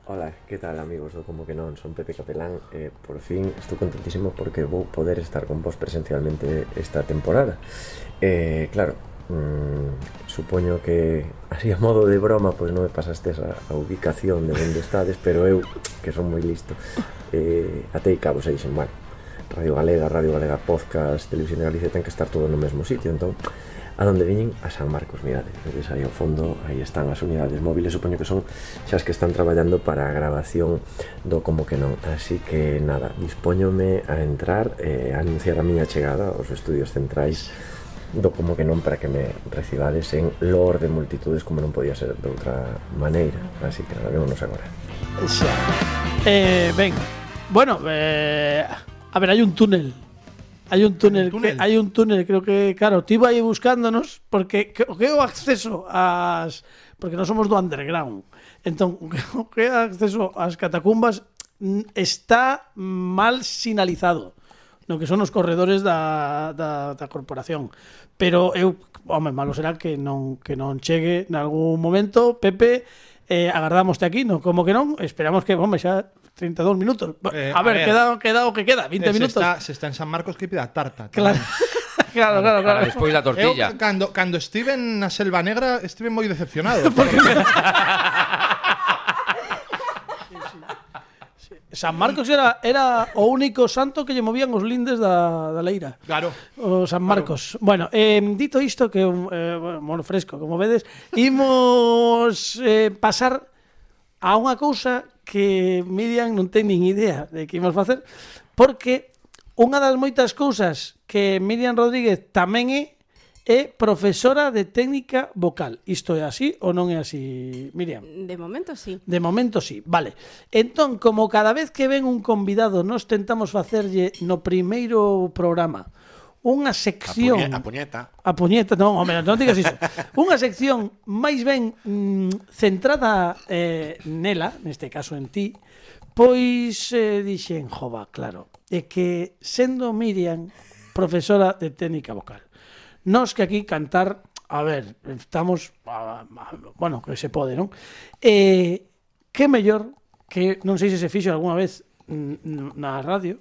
Hola, que tal amigos do Como que non? Son Pepe Capelán e eh, por fin estou contentísimo porque vou poder estar con vos presencialmente esta temporada. Eh, claro, mmm, supoño que así a modo de broma pois non me pasastes a, a ubicación de onde estades, pero eu, que son moi listo, eh, atei cabos e dixen, bueno, Radio Galega, Radio Galega Podcast, Televisión de Galicia ten que estar todo no mesmo sitio, entón a donde viñen a San Marcos, mirade, vedes aí ao fondo, aí están as unidades móviles, supoño que son xa as que están traballando para a grabación do Como que non, así que nada, dispóñome a entrar e eh, a anunciar a miña chegada aos estudios centrais do Como que non para que me recibades en loor de multitudes como non podía ser de outra maneira, así que nada, vémonos agora. Xa. Eh, ben, bueno, eh, a ver, hai un túnel. Hai un túnel, túnel? que, hai un túnel, creo que, claro, ti vai buscándonos porque que, que o acceso ás, porque non somos do underground. Entón, o que é acceso ás catacumbas está mal sinalizado no que son os corredores da, da, da corporación. Pero eu, home, malo será que non que non chegue nalgún momento. Pepe, eh, agardámoste aquí, no como que non, esperamos que, home, xa treinta e dous minutos. Eh, a, ver, a ver, queda, queda o que queda, vinte Eh, se minutos. Está, se está en San Marcos que pida tarta. Claro. claro, claro, claro. Despois da tortilla. Eu, cando, cando estive na Selva Negra, estive moi decepcionado. San Marcos era, era o único santo que lle movían os lindes da, da leira. Claro. O San Marcos. Claro. Bueno, eh, dito isto, que eh, bueno, fresco, como vedes, imos eh, pasar a unha cousa que Miriam non ten nin idea de que imos facer, porque unha das moitas cousas que Miriam Rodríguez tamén é é profesora de técnica vocal. Isto é así ou non é así, Miriam? De momento sí. De momento sí, vale. Entón, como cada vez que ven un convidado nos tentamos facerlle no primeiro programa unha sección... A, puñe, a puñeta. A puñeta, non, home, non digas iso. Unha sección máis ben mm, centrada eh, nela, neste caso en ti, pois eh, dixen, jova, claro, é que sendo Miriam profesora de técnica vocal, nós que aquí cantar, a ver, estamos, a, a, bueno, que se pode, non? Eh, que mellor, que non sei se se fixo algunha vez na radio,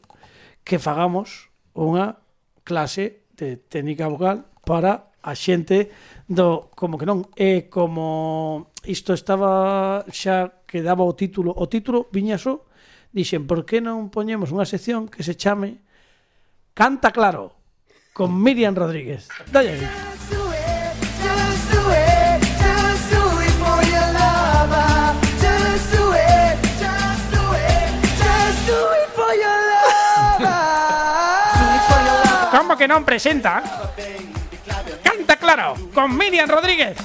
que fagamos unha clase de técnica vocal para a xente do como que non. E como isto estaba xa que daba o título, o título viña só, dixen, por que non poñemos unha sección que se chame Canta Claro con Miriam Rodríguez. Dalle aí. Como que non presenta Canta Claro con Miriam Rodríguez.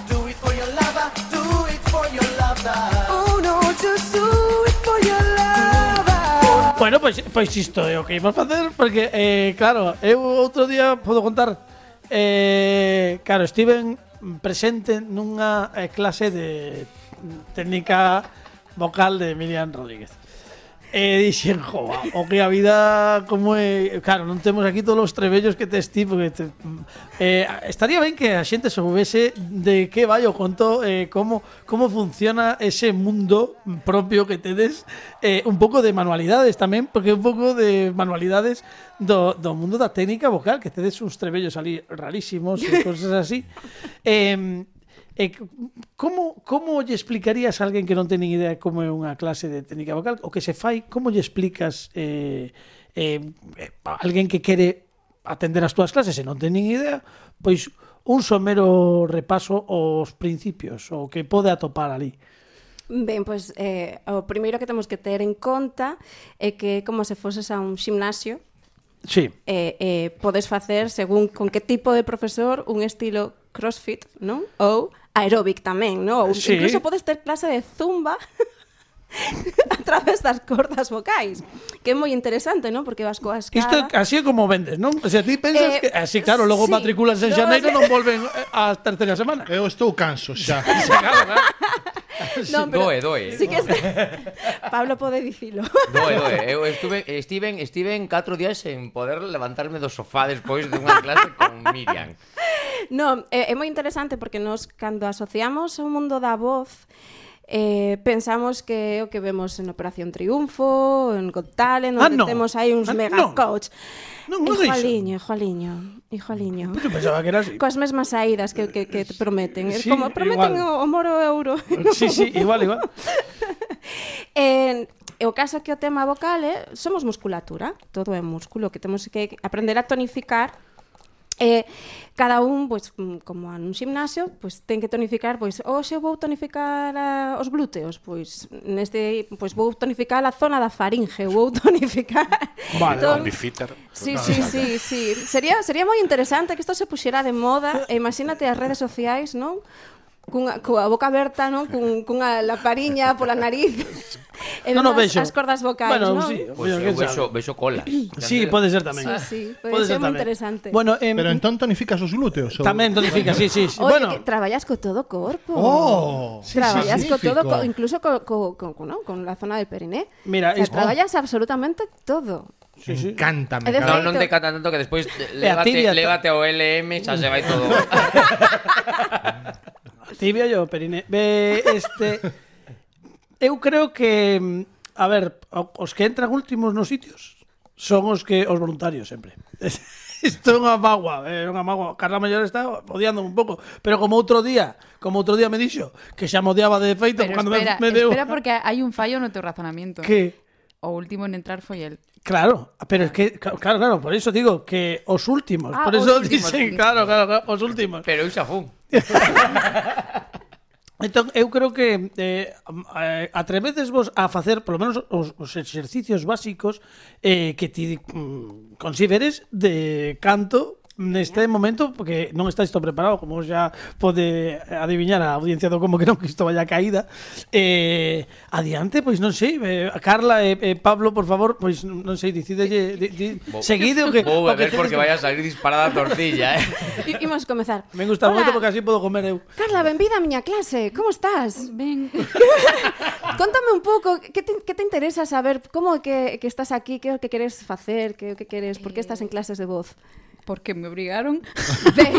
Bueno, pois pues, pois pues isto é o que imos facer, porque, eh, claro, eu outro día podo contar, eh, claro, estiven presente nunha eh, clase de técnica vocal de Miriam Rodríguez. E dixen, jova, o que a vida como é... Claro, non temos aquí todos os trebellos que tes ti, porque te, eh, estaría ben que a xente soubese de que vai o conto, eh, como, como funciona ese mundo propio que tedes, eh, un pouco de manualidades tamén, porque un pouco de manualidades do, do mundo da técnica vocal, que tedes uns trebellos ali rarísimos e cosas así. Eh, Eh, como, como lle explicarías a alguén que non ten ni idea como é unha clase de técnica vocal? O que se fai, como lle explicas eh, eh, a alguén que quere atender as túas clases e non ten nin idea, pois un somero repaso aos principios, o que pode atopar ali? Ben, pois eh, o primeiro que temos que ter en conta é que como se foses a un ximnasio, Sí. eh, eh, podes facer según con que tipo de profesor un estilo crossfit, non? Ou aeróbic tamén, non? Ou Sí. incluso podes ter clase de zumba a través das cordas vocais, que é moi interesante, non? Porque vas coa escada. Isto así é como vendes, non? O sea, ti pensas Eh, que así, claro, logo sí. matriculas en No, xaneiro sí. non volven a terceira semana. Eu estou canso xa. Non, pero Doe, doe. Sí que este... Pablo pode dicilo. Doe, doe. Eu estuve, estiven, estiven catro días sen poder levantarme do sofá despois dunha clase con Miriam. Non, é, é moi interesante porque nos, cando asociamos ao mundo da voz, eh, pensamos que é o que vemos en Operación Triunfo, en Got Talent, Ah, onde no. temos aí uns Ah, mega non. coach. Non, non é Hijo iso. aliño, hijo aliño, hijo aliño. Eu pensaba que era así. Coas mesmas saídas que, que, que te prometen. É Sí, como prometen igual. o, o moro euro. Sí, sí, igual, igual. En, e o caso é que o tema vocal é, somos musculatura, todo é músculo, que temos que aprender a tonificar. Eh, cada un, pois, como nun gimnasio, pois ten que tonificar, pois, hoxe vou tonificar a, os glúteos, pois neste, pois vou tonificar a zona da faringe, vou tonificar. Vale, Con Bifitter. Sí, sí, sí, sí. Sería sería moi interesante que isto se puxera de moda, e imagínate as redes sociais, non? Cunha, coa boca aberta, non? Cun, cunha lapariña pola nariz. E Non o vemos vexo. as cordas vocais, Bueno, non? sí. Pois eu vexo, vexo cola. Sí, pode ser tamén. Sí, sí, pode ser moi interesante. Bueno, em, Pero entón tonificas os glúteos? ou- tamén tonifica, sí, sí. sí. Oye, Bueno, que traballas co todo o corpo. Oh, Traballas co todo, co, magnífico. incluso co, co, co, co, no? con la zona del periné. Mira, o sea, es- traballas absolutamente todo. sí, sí. Encanta, me E de encanta. Non, non te cata tanto que despois E a tibia- légate, légate ao L M, xa se vai todo. Tibia yo, periné. Ve, este eu creo que a ver, os que entran últimos nos sitios son os que os voluntarios sempre. Isto é unha magua, é unha magua. Carla Maior está odiando un pouco, pero como outro día, como outro día me dixo que xa me odiaba de feito Pero cando espera, me, me deu espera porque hai un fallo no teu razonamento. que O último en entrar foi el. claro, pero es que claro, claro, por eso digo que os últimos, Ah, por os eso últimos. dicen, claro, claro, claro, os últimos. Pero eu xa fun. Entón, eu creo que eh, eh, atrevedesvos a facer polo menos os, os exercicios básicos eh, que ti mm, consideres de canto neste momento, porque non está isto preparado, como xa pode adiviñar a audiencia do como que non que isto vaya caída. Eh, adiante, pois non sei, eh, Carla e eh, eh, Pablo, por favor, pois non sei, decidelle di, di, seguide o que Vou o que beber porque tedes- vai a salir disparada a tortilla, eh. I, imos comezar. Me gusta Hola, moito porque así podo comer eu. Carla, benvida a miña clase. Como estás? Ben, Contame un pouco, que te, que te interesa saber como é que, que estás aquí, que é o que queres facer, que é o que queres, por que estás en clases de voz? porque me obrigaron. Ben,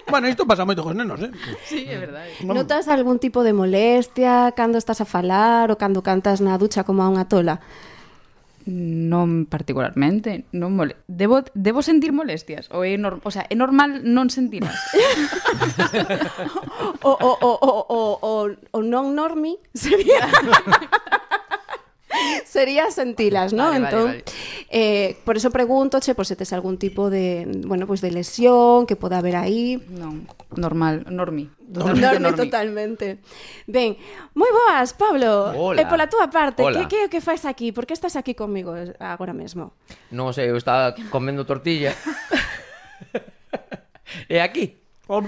Bueno, isto pasa moito cos nenos, eh? Sí, é verdade. notas algún tipo de molestia cando estás a falar ou cando cantas na ducha como a unha tola? Non particularmente, non mole... Debo, debo sentir molestias? Ou é, nor... o sea, é normal non sentiras? O, o, o, o, o, o, o non normi sería sería sentilas, ¿no? Vale, vale, Entón, vale. eh, por eso pregunto, che, por se tes algún tipo de, bueno, pues de lesión que poda haber aí. Non, normal, normi. Normi, normi. totalmente. Ben, moi boas, Pablo. Hola. E pola túa parte, Hola. que que é o que fais aquí? Por que estás aquí comigo agora mesmo? Non sei, eu estaba comendo tortilla. E aquí? O-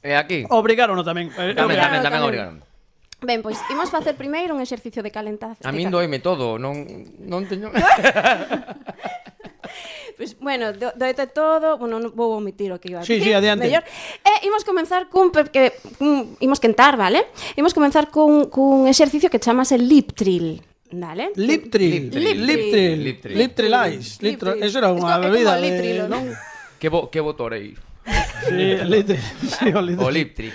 E aquí? Obrigaron tamén. Eh, Tamén, obrigaron. tamén, tamén tamén. obrigaron. Ben, pois imos facer primeiro un exercicio de calentación. A min doime todo, non non teño. Pois, bueno, do, doete todo, bueno, non vou omitir o que iba a Sí, dicir. sí, adiante. Mellor. E imos comenzar cun pe- que cun, imos quentar, vale? Imos comenzar cun cun exercicio que chamase lip trill. Vale. Liptril. Liptril. Liptril. Liptril. Liptril Ice. Liptril. Liptril. Eso era Es unha co- é bebida como de... Litril, non? Que bo, que botorei. Sí, Liptril. Sí, o Liptril. O Liptri.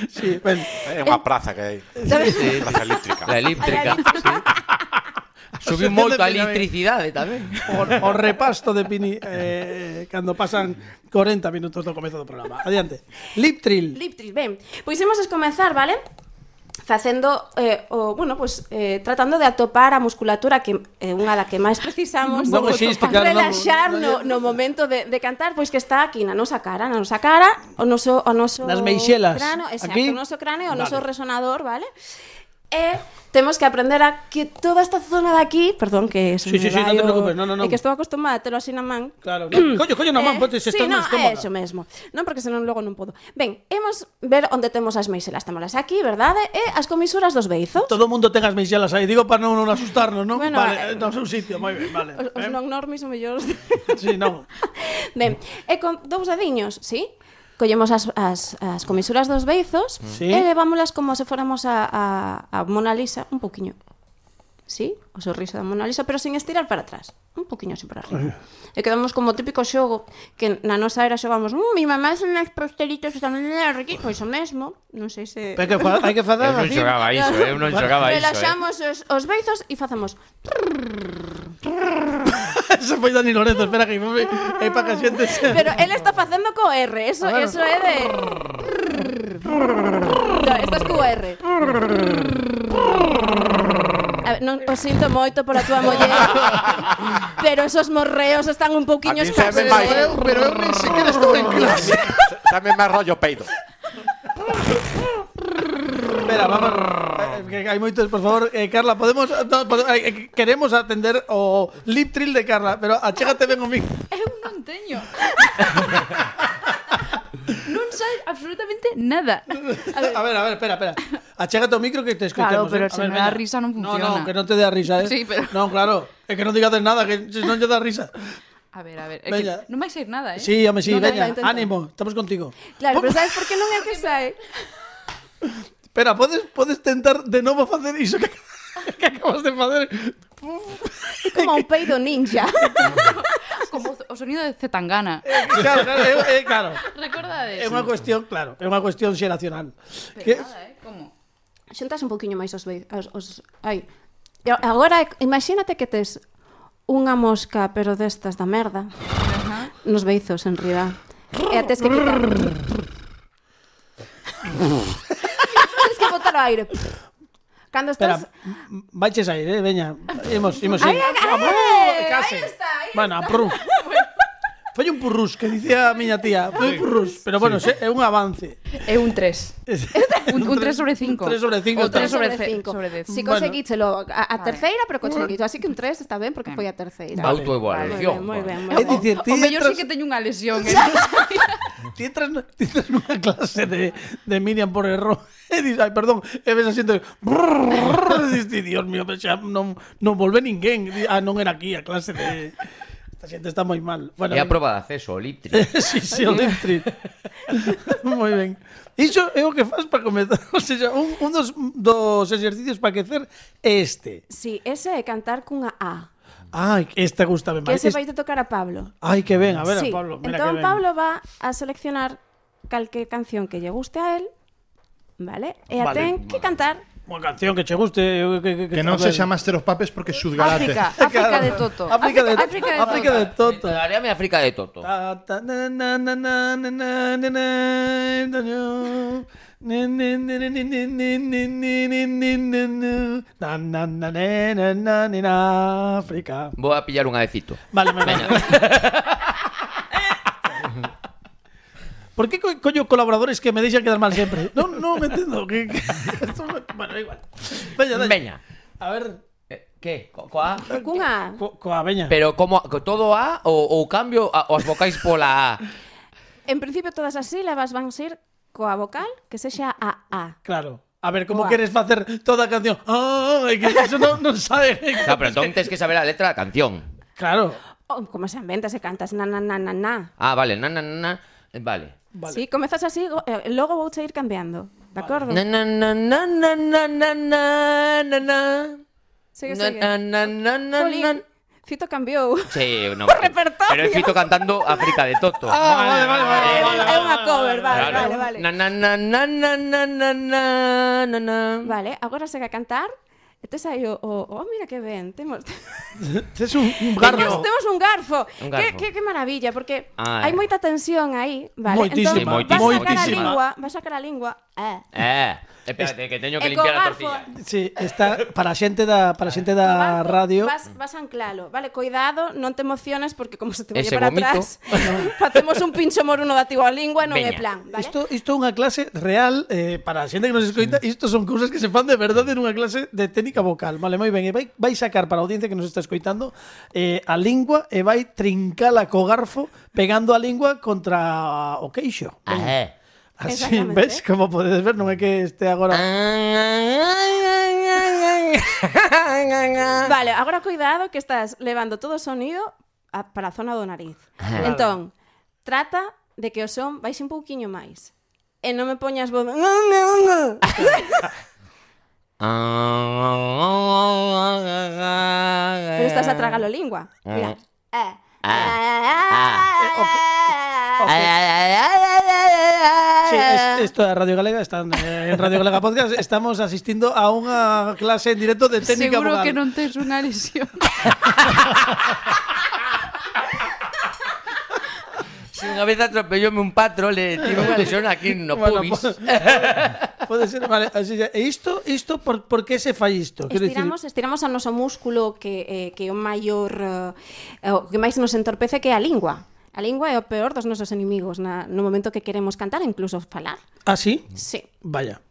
Sí, ben. É unha praza que hai. Praza eléctrica. La eléctrica. Subiu moito a electricidade tamén. O, o repasto de Pini eh, cando pasan corenta minutos do comezo do programa. Adiante. Liptril. Liptril, ben. Pois imos a comenzar, vale? Facendo, eh, o, bueno, pues, eh, tratando de atopar a musculatura que é eh, unha da que máis precisamos Non existe, claro, non- relaxar non- no, no momento de, de cantar, pois que está aquí na nosa cara, na nosa cara, o noso, o noso Nas meixelas. cráneo, exacto, Aquí. o noso cráneo, o Vale. noso resonador, vale? E temos que aprender a que toda esta zona de aquí, perdón, que se Sí, me sí, sí, vai non te o- preocupes, no, no, no. É que estou acostumada a telo así na man. Claro. No. Coño, coño, na man, podes sí, estar no, máis é cómoda. eso mesmo. Non, porque senón logo non podo. Ben, imos ver onde temos as meixelas. Temolas aquí, verdade? E as comisuras dos beizos. Todo o mundo ten as meixelas aí. Digo para non, non asustarnos, non? Bueno, vale, eh, no seu sitio, moi ben, vale. Os, os Eh? non normis o mellor. Sí, non. Ben, e con dous dediños, sí? Collemos as, as, as comisuras dos beizos Sí. e levámolas como se fóramos a, a, a Mona Lisa un poquinho. Sí? O sorriso da Mona Lisa, pero sin estirar para atrás. Un poquinho así para arriba. E quedamos como o típico xogo que na nosa era xogamos mmm, mi mamá son as pastelitos están aquí. Pois o mesmo. Non sei se... Hai que, fa- hai que facer Eu non así. xogaba iso, eu non xogaba iso, eh. Relaxamos os, os beizos e facemos... Eso foi Dani Lorenzo, espera que me é para que a xente se... Pero él está facendo co R, eso, A ver. eso é de... No, esto es co R. A ver, non o sinto moito por a túa muller, pero esos morreos están un A pouquiño mí se me escasos. vai. Pero eu, pero eu nin sequera estou en clase. Dame máis rollo peido. Espera, vamos. eh, Que hai moitos, por favor, eh, Carla, podemos no, pode- eh, queremos atender o Liptril de Carla, pero achégate ben o micro. Eu non teño. Non sai absolutamente nada. A ver, A ver, a ver, espera, espera. Achégate o micro que te escoitemos. Claro, pero eh. A se ver, me dá veña. risa non No, funciona. no, que non te dé a risa, eh. Sí, pero- Non, claro, é que non digades nada, que se non lle dá risa. a ver, a ver, é Veña. que non vai ser nada, eh? Sí, home, sí, No, veña, venga, intenta. ánimo, estamos contigo. Claro, pero sabes por que non é que sae? Espera, podes podes tentar de novo facer iso que, que acabas de facer. É como un peido ninja. Como o sonido de Zetangana. Claro, claro, é, é, claro. Recordades? É unha cuestión, claro, é unha cuestión xeracional. Pero Que, nada, eh? Como? Xuntas un pouquiño máis os beizos. Os, os, ai. E agora, imagínate que tes unha mosca, pero destas da merda, Ajá. nos beizos en riba. E a tes que quitar. Tens que botar o aire. Cando espera, estás... m- vaiches a ir, eh, veña. Imos, imos. Ai, sí. ai, ai, Vamos, ai, case. aí está, aí Bueno, a prú. Foi un purrús, que dicía a miña tía. Foi un purrús, pero bueno, se- é un avance. É un tres. Un, un tres sobre cinco. Un tres sobre cinco. O tres está. sobre sobre ce- cinco. sobre dez. Si Bueno. conseguíchelo a, a Vale. terceira, pero conseguíchelo. Así que un tres está ben porque foi a terceira. Vale. Autoevaluación. Moi ben, moi É ben. dicir, O ti mellor entras, sí que teño unha lesión, eh? ti entras, no- ti entras nunha clase de, de Miriam por error e dis, ai, perdón, e ves asiento e dis, ti, Dios mío, pero xa non, non volve ninguén. Di, ah, non era aquí a clase de... Esta xente está moi mal. Bueno, É a venga. proba de acceso, o Liptri. Sí, sí, o Liptril. Moi ben. Iso é o que faz para comezar. O sea, un, un dos, dos exercicios para aquecer é este. Si, ese é cantar cunha A. Ai, este gusta ben Que máis. ese vai te tocar a Pablo. Ai, que ben, a ver, a Sí, Pablo. Mira entón que ben. Pablo va a seleccionar calque canción que lle guste a él, vale? E a Vale. ten que cantar Unha canción que che guste. Que, que, Que non a ver. sexa Master of Puppets porque xudgarate. África, África de Toto. África de, África de África de Toto. Daríame África de Toto. Ta, ta, na, na, na, na, na, na, na, na, na, na. Ni, ni, ni, ni, ni, ni, ni, ni, ni, ni, ni, ni, ni. Na, na, na, na, na, na, na, na, África. Vou a pillar un adecito. Vale, me Veña. ¿Por qué co coño colaboradores que me deixan quedar mal sempre? No, no me entendo. Que, que... Esto me- bueno, da igual. Veña, veña. Veña. A ver, Eh, Que? Co coa? cunha A. co coa veña. Pero como co- todo A ou, ou cambio a, os vocais pola A? En principio todas as sílabas van ser coa vocal que sexa a A. Claro. A ver, como Coa. queres facer toda a canción? Ah, é que eso non, non sabe. Claro, pero entón tens que saber a letra da canción. Claro. Oh, como se inventa se cantas na na na na na. Ah, vale, na, na, na, na. Eh, Vale. Vale. Sí, comezas así, go- eh, logo vou ir cambiando. De acordo? Na na na na na na na na na na. Sigue, Na, sigue. na, na, na, na, Jolín, na. Fito cambiou. Sí, no, O repertorio. pero é Fito cantando África de Toto. Ah, vale, vale, vale, É vale, é unha cover, vale, Claro. vale, vale. Na na na na na na na na na na. Vale, agora segue a cantar. E tes aí o, o... Oh, mira que ben. Temos... Es un, un Temos, garfo. temos un garfo. Un Que, garfo. que, que maravilla, porque Ai. hai moita tensión aí, vale? Moitísima, Entón, moitísima. vas sacar a moitísima. lingua, vas sacar a lingua. Eh. Eh, espérate que teño que E co limpiar a garfo, tortilla. Sí, está para a xente da para a xente da co garfo radio. Vas, vas a anclalo, vale? Cuidado, non te emociones porque como se te vaya Ese para vomito. atrás, facemos un pincho moruno da tiba lingua, non é Veña. plan, vale? Isto isto é unha clase real eh, para a xente que nos escoita, isto son cousas que se fan de verdade nunha clase de técnica vocal. Vale, moi ben, e vai vai sacar para a audiencia que nos está escoitando eh, a lingua e vai trincala co garfo pegando a lingua contra o queixo. Ah, eh. Así, Exactamente. ves? Como podedes ver, non é que este agora... Vale, agora cuidado que estás levando todo o sonido a, para a zona do nariz. Ajá. Entón, trata de que o son vais un pouquiño máis. E non me poñas voz... Pero estás a tragar a lingua. Mira. Eh. Sí, es- esto é Radio Galega, están eh, en Radio Galega Podcast, estamos asistindo a unha clase en directo de técnica Seguro vocal. que non tes unha lesión. Si unha vez atropellóme un patro, le tive unha lesión aquí no Bueno, pubis. po- pode ser, vale, así xa. E isto, isto por, por que se fai isto? Quero dicir, Estiramos, estiramos a noso músculo que, eh, que é o maior eh, o que máis nos entorpece, que é a lingua. A lingua é o peor dos nosos inimigos na, no momento que queremos cantar, incluso falar. ah, sí? Sí. Vaya.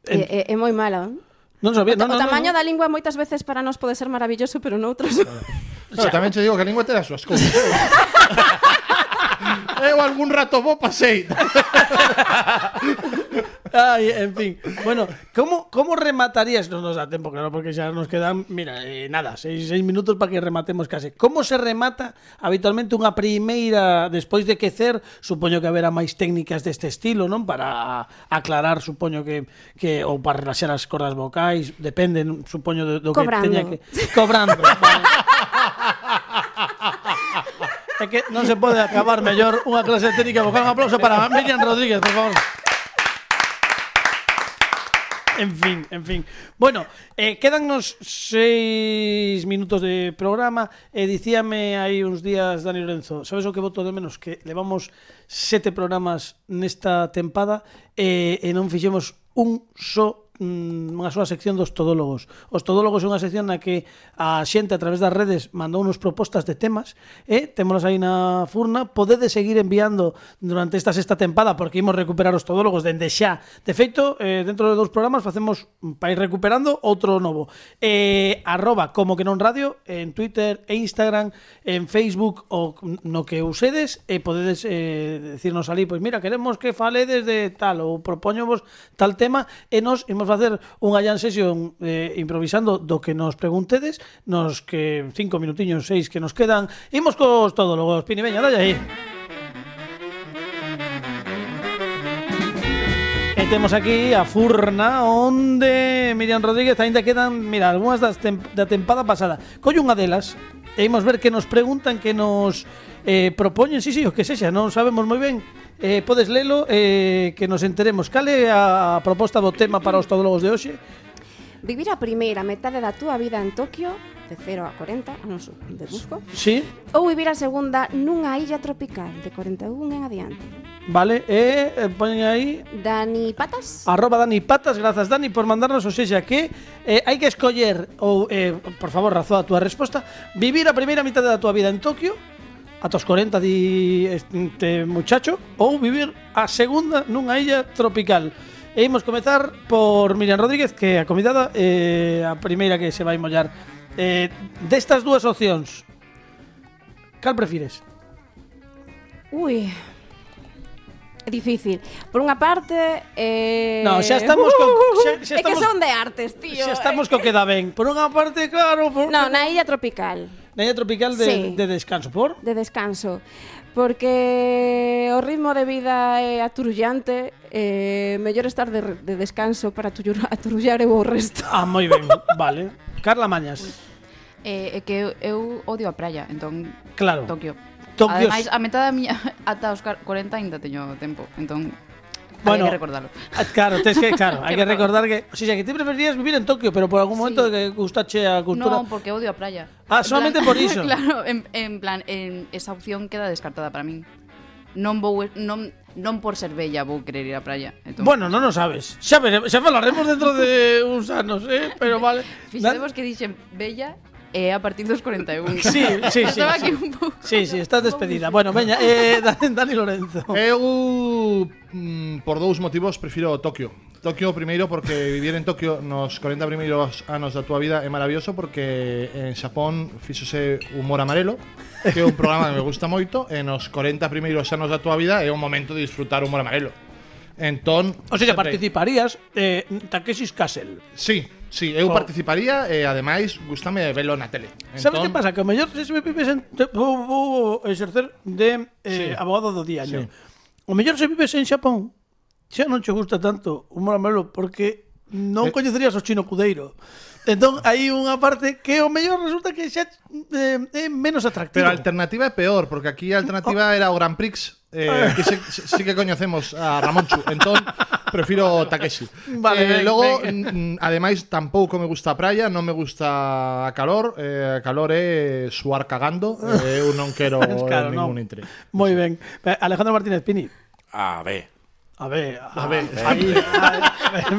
É, é, é moi malo. Non sabía, O, non, o non, tamaño non. da lingua moitas veces para nós pode ser maravilloso, pero noutros... No, tamén te digo que a lingua te das súas cousas. Eu algún rato vou pasei. Ai, en fin. Bueno, como como rematarías? Non nos dá tempo, claro, porque xa nos quedan, mira, eh, nada, seis, seis minutos para que rematemos case. Como se remata habitualmente unha primeira despois de quecer? Supoño que haberá máis técnicas deste estilo, non? Para aclarar, supoño que que ou para relaxar as cordas vocais, depende, non? Supoño do, do que Cobrando. teña que cobrando. Vale. É que non se pode acabar mellor unha clase de técnica vocal. Un aplauso para Miriam Rodríguez, por favor. En fin, en fin. Bueno, eh, quedannos seis minutos de programa. E dicíame hai uns días Dani Lorenzo, sabes o que voto de menos? Que levamos sete programas nesta tempada e, e non fixemos un só unha súa sección dos todólogos. Os todólogos é unha sección na que a xente a través das redes mandou unos propostas de temas e témolas aí na furna. Podedes seguir enviando durante esta sexta tempada porque imos recuperar os todólogos dende xa. De feito, eh, dentro de dous programas facemos para ir recuperando outro novo. Eh, arroba como que non radio en Twitter e Instagram, en Facebook ou no que usedes e podedes eh, decirnos ali, pois mira, queremos que faledes de tal ou propóñovos tal tema e nos imos facer unha jam session eh, improvisando do que nos preguntedes, nos que cinco minutiños, seis que nos quedan. Imos cos todólogos. Pini, veña, dalle aí. E temos aquí a furna onde Miriam Rodríguez aínda quedan, mira, algunhas das tem da tempada pasada. Colle unha delas e imos ver que nos preguntan, que nos eh, propoñen, sí, sí, o que sexa, non sabemos moi ben. Eh, podes lelo, eh, que nos enteremos. Cal é a proposta do tema para os todólogos de hoxe? Vivir a primeira metade da túa vida en Tokio, de cero a corenta anos de busco, Sí, ou vivir a segunda nunha illa tropical, de corenta e un en adiante. vale, e eh, poñen aí Dani Patas? arroba Dani Patas, grazas Dani por mandarnos, o sexa que eh, hai que escoller ou, eh, por favor, razoa a túa resposta, vivir a primeira mitad da túa vida en Tokio ata os corenta di este muchacho, ou vivir a segunda nunha illa tropical. E imos comezar por Miriam Rodríguez, que é a convidada, eh, a primeira que se vai mollar. Eh, destas dúas opcións, cal prefires? Ui, é difícil. Por unha parte, eh... No, xa estamos co- xa- xa É que estamos- son de artes, tío. Xa estamos co que dá ben. Por unha parte, claro, por... No, na illa tropical, na illa tropical de, Sí. de descanso, por? de descanso. Porque o ritmo de vida é aturullante, eh, mellor estar de, de descanso para aturullar, aturullar eu o resto. Ah, moi ben, vale. Carla Mañas. É eh, que eu, eu odio a praia, entón Claro. Tokio. Tokio. Ademais, a metade da miña ata os corenta aínda teño tempo, entón Bueno, hai que recordarlo. Ah, Claro, tes que, claro, hai que recordar que, o sea, que ti preferirías vivir en Tokio, pero por algún momento Sí. que gustache a cultura. No, porque odio a praia. Ah, En solamente plan- por iso. Claro, en, en plan, en, esa opción queda descartada para min. Non vou non non por ser bella vou querer ir á praia. Entón, Bueno, non o sabes. Xa veremos, xa falaremos dentro de uns anos, eh, pero vale. fixadevos que dixen bella é a partir dos corenta e un. Sí, sí, sí. Estaba sí. aquí un pouco. Sí, sí, estás despedida. Bueno, veña, eh, Dani, Dani Lorenzo. Eu, mm, por dous motivos, prefiro Tokio. Tokio, primeiro, porque vivir en Tokio nos corenta primeiros anos da tua vida é maravilloso, porque en Xapón fíxose Humor Amarelo, que é un programa que me gusta moito, e nos corenta primeiros anos da tua vida é un momento de disfrutar Humor Amarelo. Entón, O sea, sempre- participarías eh, Takeshi's Castle. Sí, sí, eu Oh. participaría e ademais gustame velo na tele. Sabes Entón, que pasa? Que o mellor se me vives en te- vou, vou exercer de eh, Sí. abogado do diario. Sí. O mellor se vives en Xapón, xa non che gusta tanto o Humor Amarelo porque non Eh. coñecerías o Chino Cudeiro. Entón, hai unha parte que o mellor resulta que xa eh, é menos atractivo. Pero a alternativa é peor, porque aquí a alternativa era o Grand Prix. Eh, aquí sí, sí que coñecemos a Ramonchu. Entón, prefiro Takeshi. Vale, eh, ben, logo, ben. mm, ademais, tampouco me gusta a praia, non me gusta a calor. Eh, a calor é suar cagando. Eh, eu non quero Claro, ningún non. interés. Moi ben. Alejandro Martínez Pini. A ver. A ver, A ver, aí,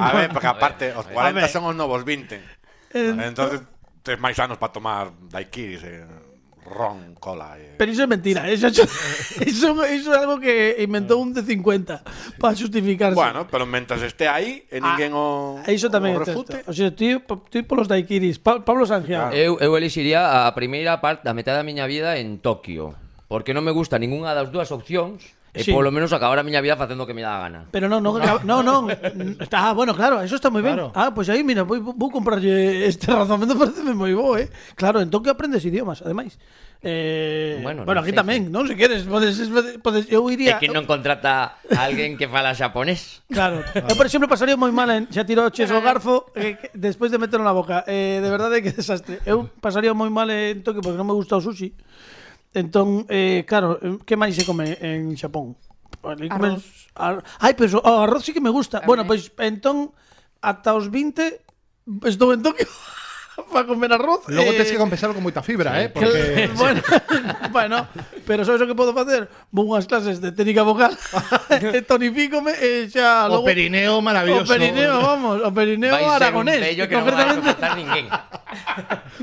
A ver, porque aparte, os cuarenta ver. son os novos vinte. Eh, Entonces, tes máis anos para tomar daiquiris, eh, ron, cola. Eh. Pero iso é mentira, eso, eso, eso, eso é algo que inventou un de cincuenta para justificarse. Bueno, pero mentras esté aí e ninguén o, Ah, iso tamén o é refute. certo. O sea, ti, ti polos daiquiris, Pa- Pablo Sangiao. Eu, eu elixiría a primeira parte, a metade da miña vida en Tokio. Porque non me gusta ningunha das dúas opcións. E Sí. polo menos acabar a miña vida facendo o que me dá a gana. Pero non, non, non, non. Está, ah, bueno, claro, eso está moi ben. Claro. Ah, pois pues aí, mira, vou, vou comprarlle este razonamento, pareceme moi bo, eh. Claro, en Tokio aprendes idiomas, ademais. Eh, bueno, Bueno, non aquí sei, tamén, non? Se queres, podes, podes, eu É iría. que non contrata a alguén que fala xaponés. Claro. Eu, por exemplo, pasaría moi mal en xa tirou ches o garfo eh, que- despois de meterlo na boca. Eh, de verdade que desastre. Eu pasaría moi mal en Tokio porque non me gusta o sushi. Entón, eh, claro, eh, que máis se come en Xapón? Ali comen- ar- Ai, pero o arroz sí que me gusta. A Bueno, mí. pois entón ata os vinte estou en Tokio para comer arroz. Logo eh, tens que compensarlo con moita fibra, eh? que- Porque bueno, bueno, pero sabes o que podo facer? Vou unhas clases de técnica vocal e tonifícome e xa o logo perineo o maravilloso. perineo, vamos, o perineo Vai ser un aragonés. bello que non vai a concretamente. soportar ninguén.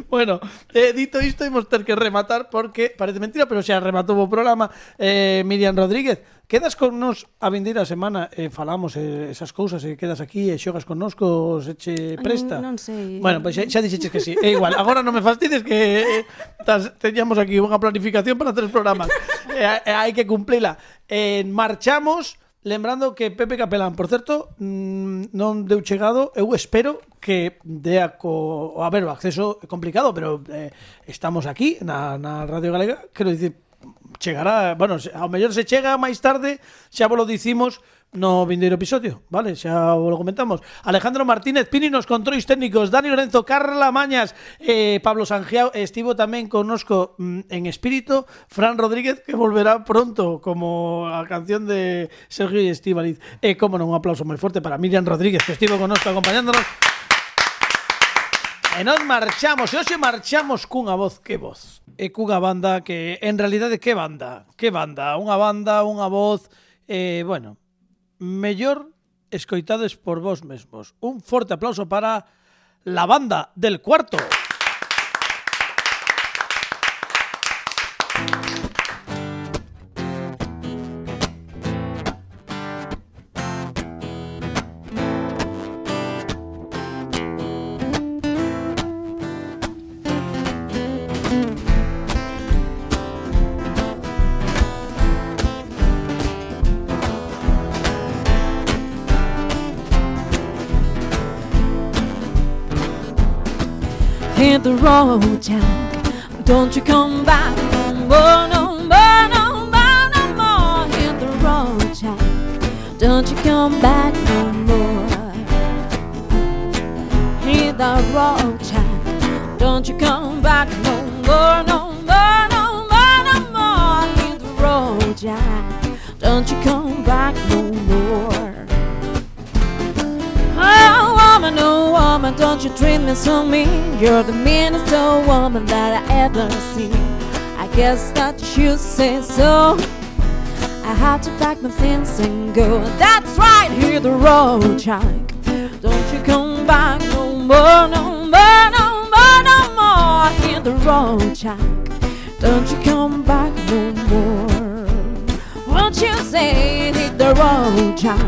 Bueno, eh, dito isto, imos ter que rematar porque parece mentira, pero xa rematou o programa. Eh, Miriam Rodríguez, quedas con nos a vindeira semana e eh, falamos eh, esas cousas e quedas aquí e xogas connosco, se che presta. non sei. Bueno, pois pues xa, xa dixeches que sí. É igual, agora non me fastides que eh, tas, teñamos aquí unha planificación para tres programas. e, e hai que cumplila. Eh, marchamos. Lembrando que Pepe Capelán, por certo, mmm, non deu chegado. Eu espero que dea co... A ver, o acceso é complicado, pero eh, estamos aquí na, na Radio Galega. Quero dicir, chegará... Bueno, se- ao mellor se chega máis tarde, xa vos lo dicimos no vindeiro episodio, vale? Xa vos lo comentamos. Alejandro Martínez Pini nos controis técnicos, Dani Lorenzo, Carla Mañas, eh, Pablo Sangiao, estivo tamén connosco mm, en espírito, Fran Rodríguez, que volverá pronto como a canción de Sergio y Estíbaliz. E como non, un aplauso moi forte para Miriam Rodríguez, que estivo connosco acompañándonos. E nos marchamos, e hoxe marchamos cunha voz, que voz? E cunha banda que, en realidade, que banda? Que banda? Unha banda, unha voz, eh, bueno, mellor escoitades por vos mesmos. Un forte aplauso para la banda del cuarto. Hit the road, Jack. Don't you come back. Oh, no, oh, no, oh, don't you come back no more. Hit the road, Jack, don't you come back no more, no more, no more, no more. Hit the road, Jack, don't you come back no more. Oh woman, oh woman, don't you treat me so mean. You're the meanest old woman that I ever seen. I guess that you say so. I had to pack my things and go. That's right, hit the road, Jack, don't you come back no more, no more, no more, no more. Hit the road, Jack, don't you come back no more. Won't you say, hit the road, Jack,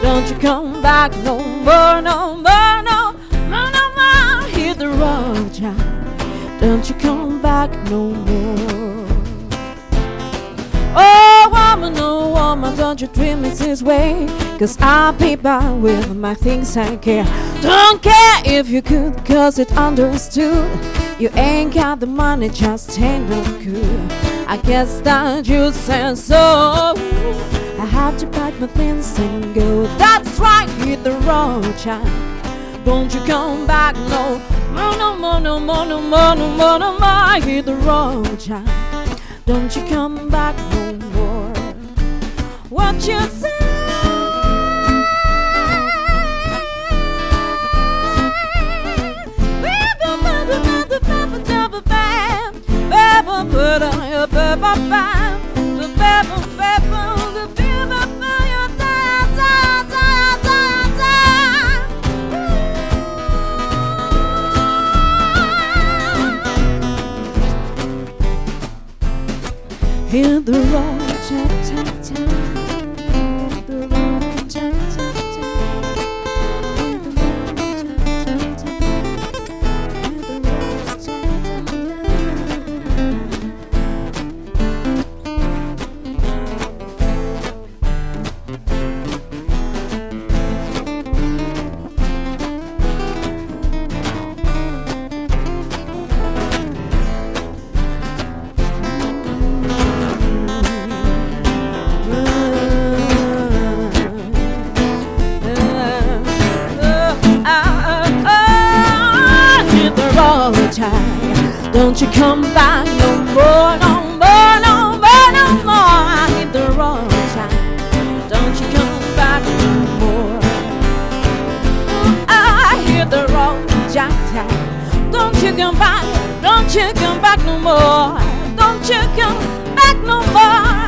don't you come back no more, no more, no more, no more. Hit the road, Jack, don't you come back no more. Oh woman, oh woman, don't you treat me this way, 'cause I'll be back with my things I care. Don't care if you could, 'cause it understood. You ain't got the money, just ain't no good. I guess that you said so. I have to pack my things and go. That's right, hit the road, Jack, don't you come back no more, no more, no more, no more, no more, no more. Hit the road, Jack, don't you come back no more. What you say? Hit the road, Jack, Jack, Jack. Hit the road, Jack, Jack, Jack. Hit the road, Jack, Jack, Jack. Hit the road, Jack, don't you come back no more, no more, no more, no more. I hit the road, Jack, don't you come back no more. I hit the road, Jack, Jack, don't you come back, don't you come back no more. Don't you come back no more.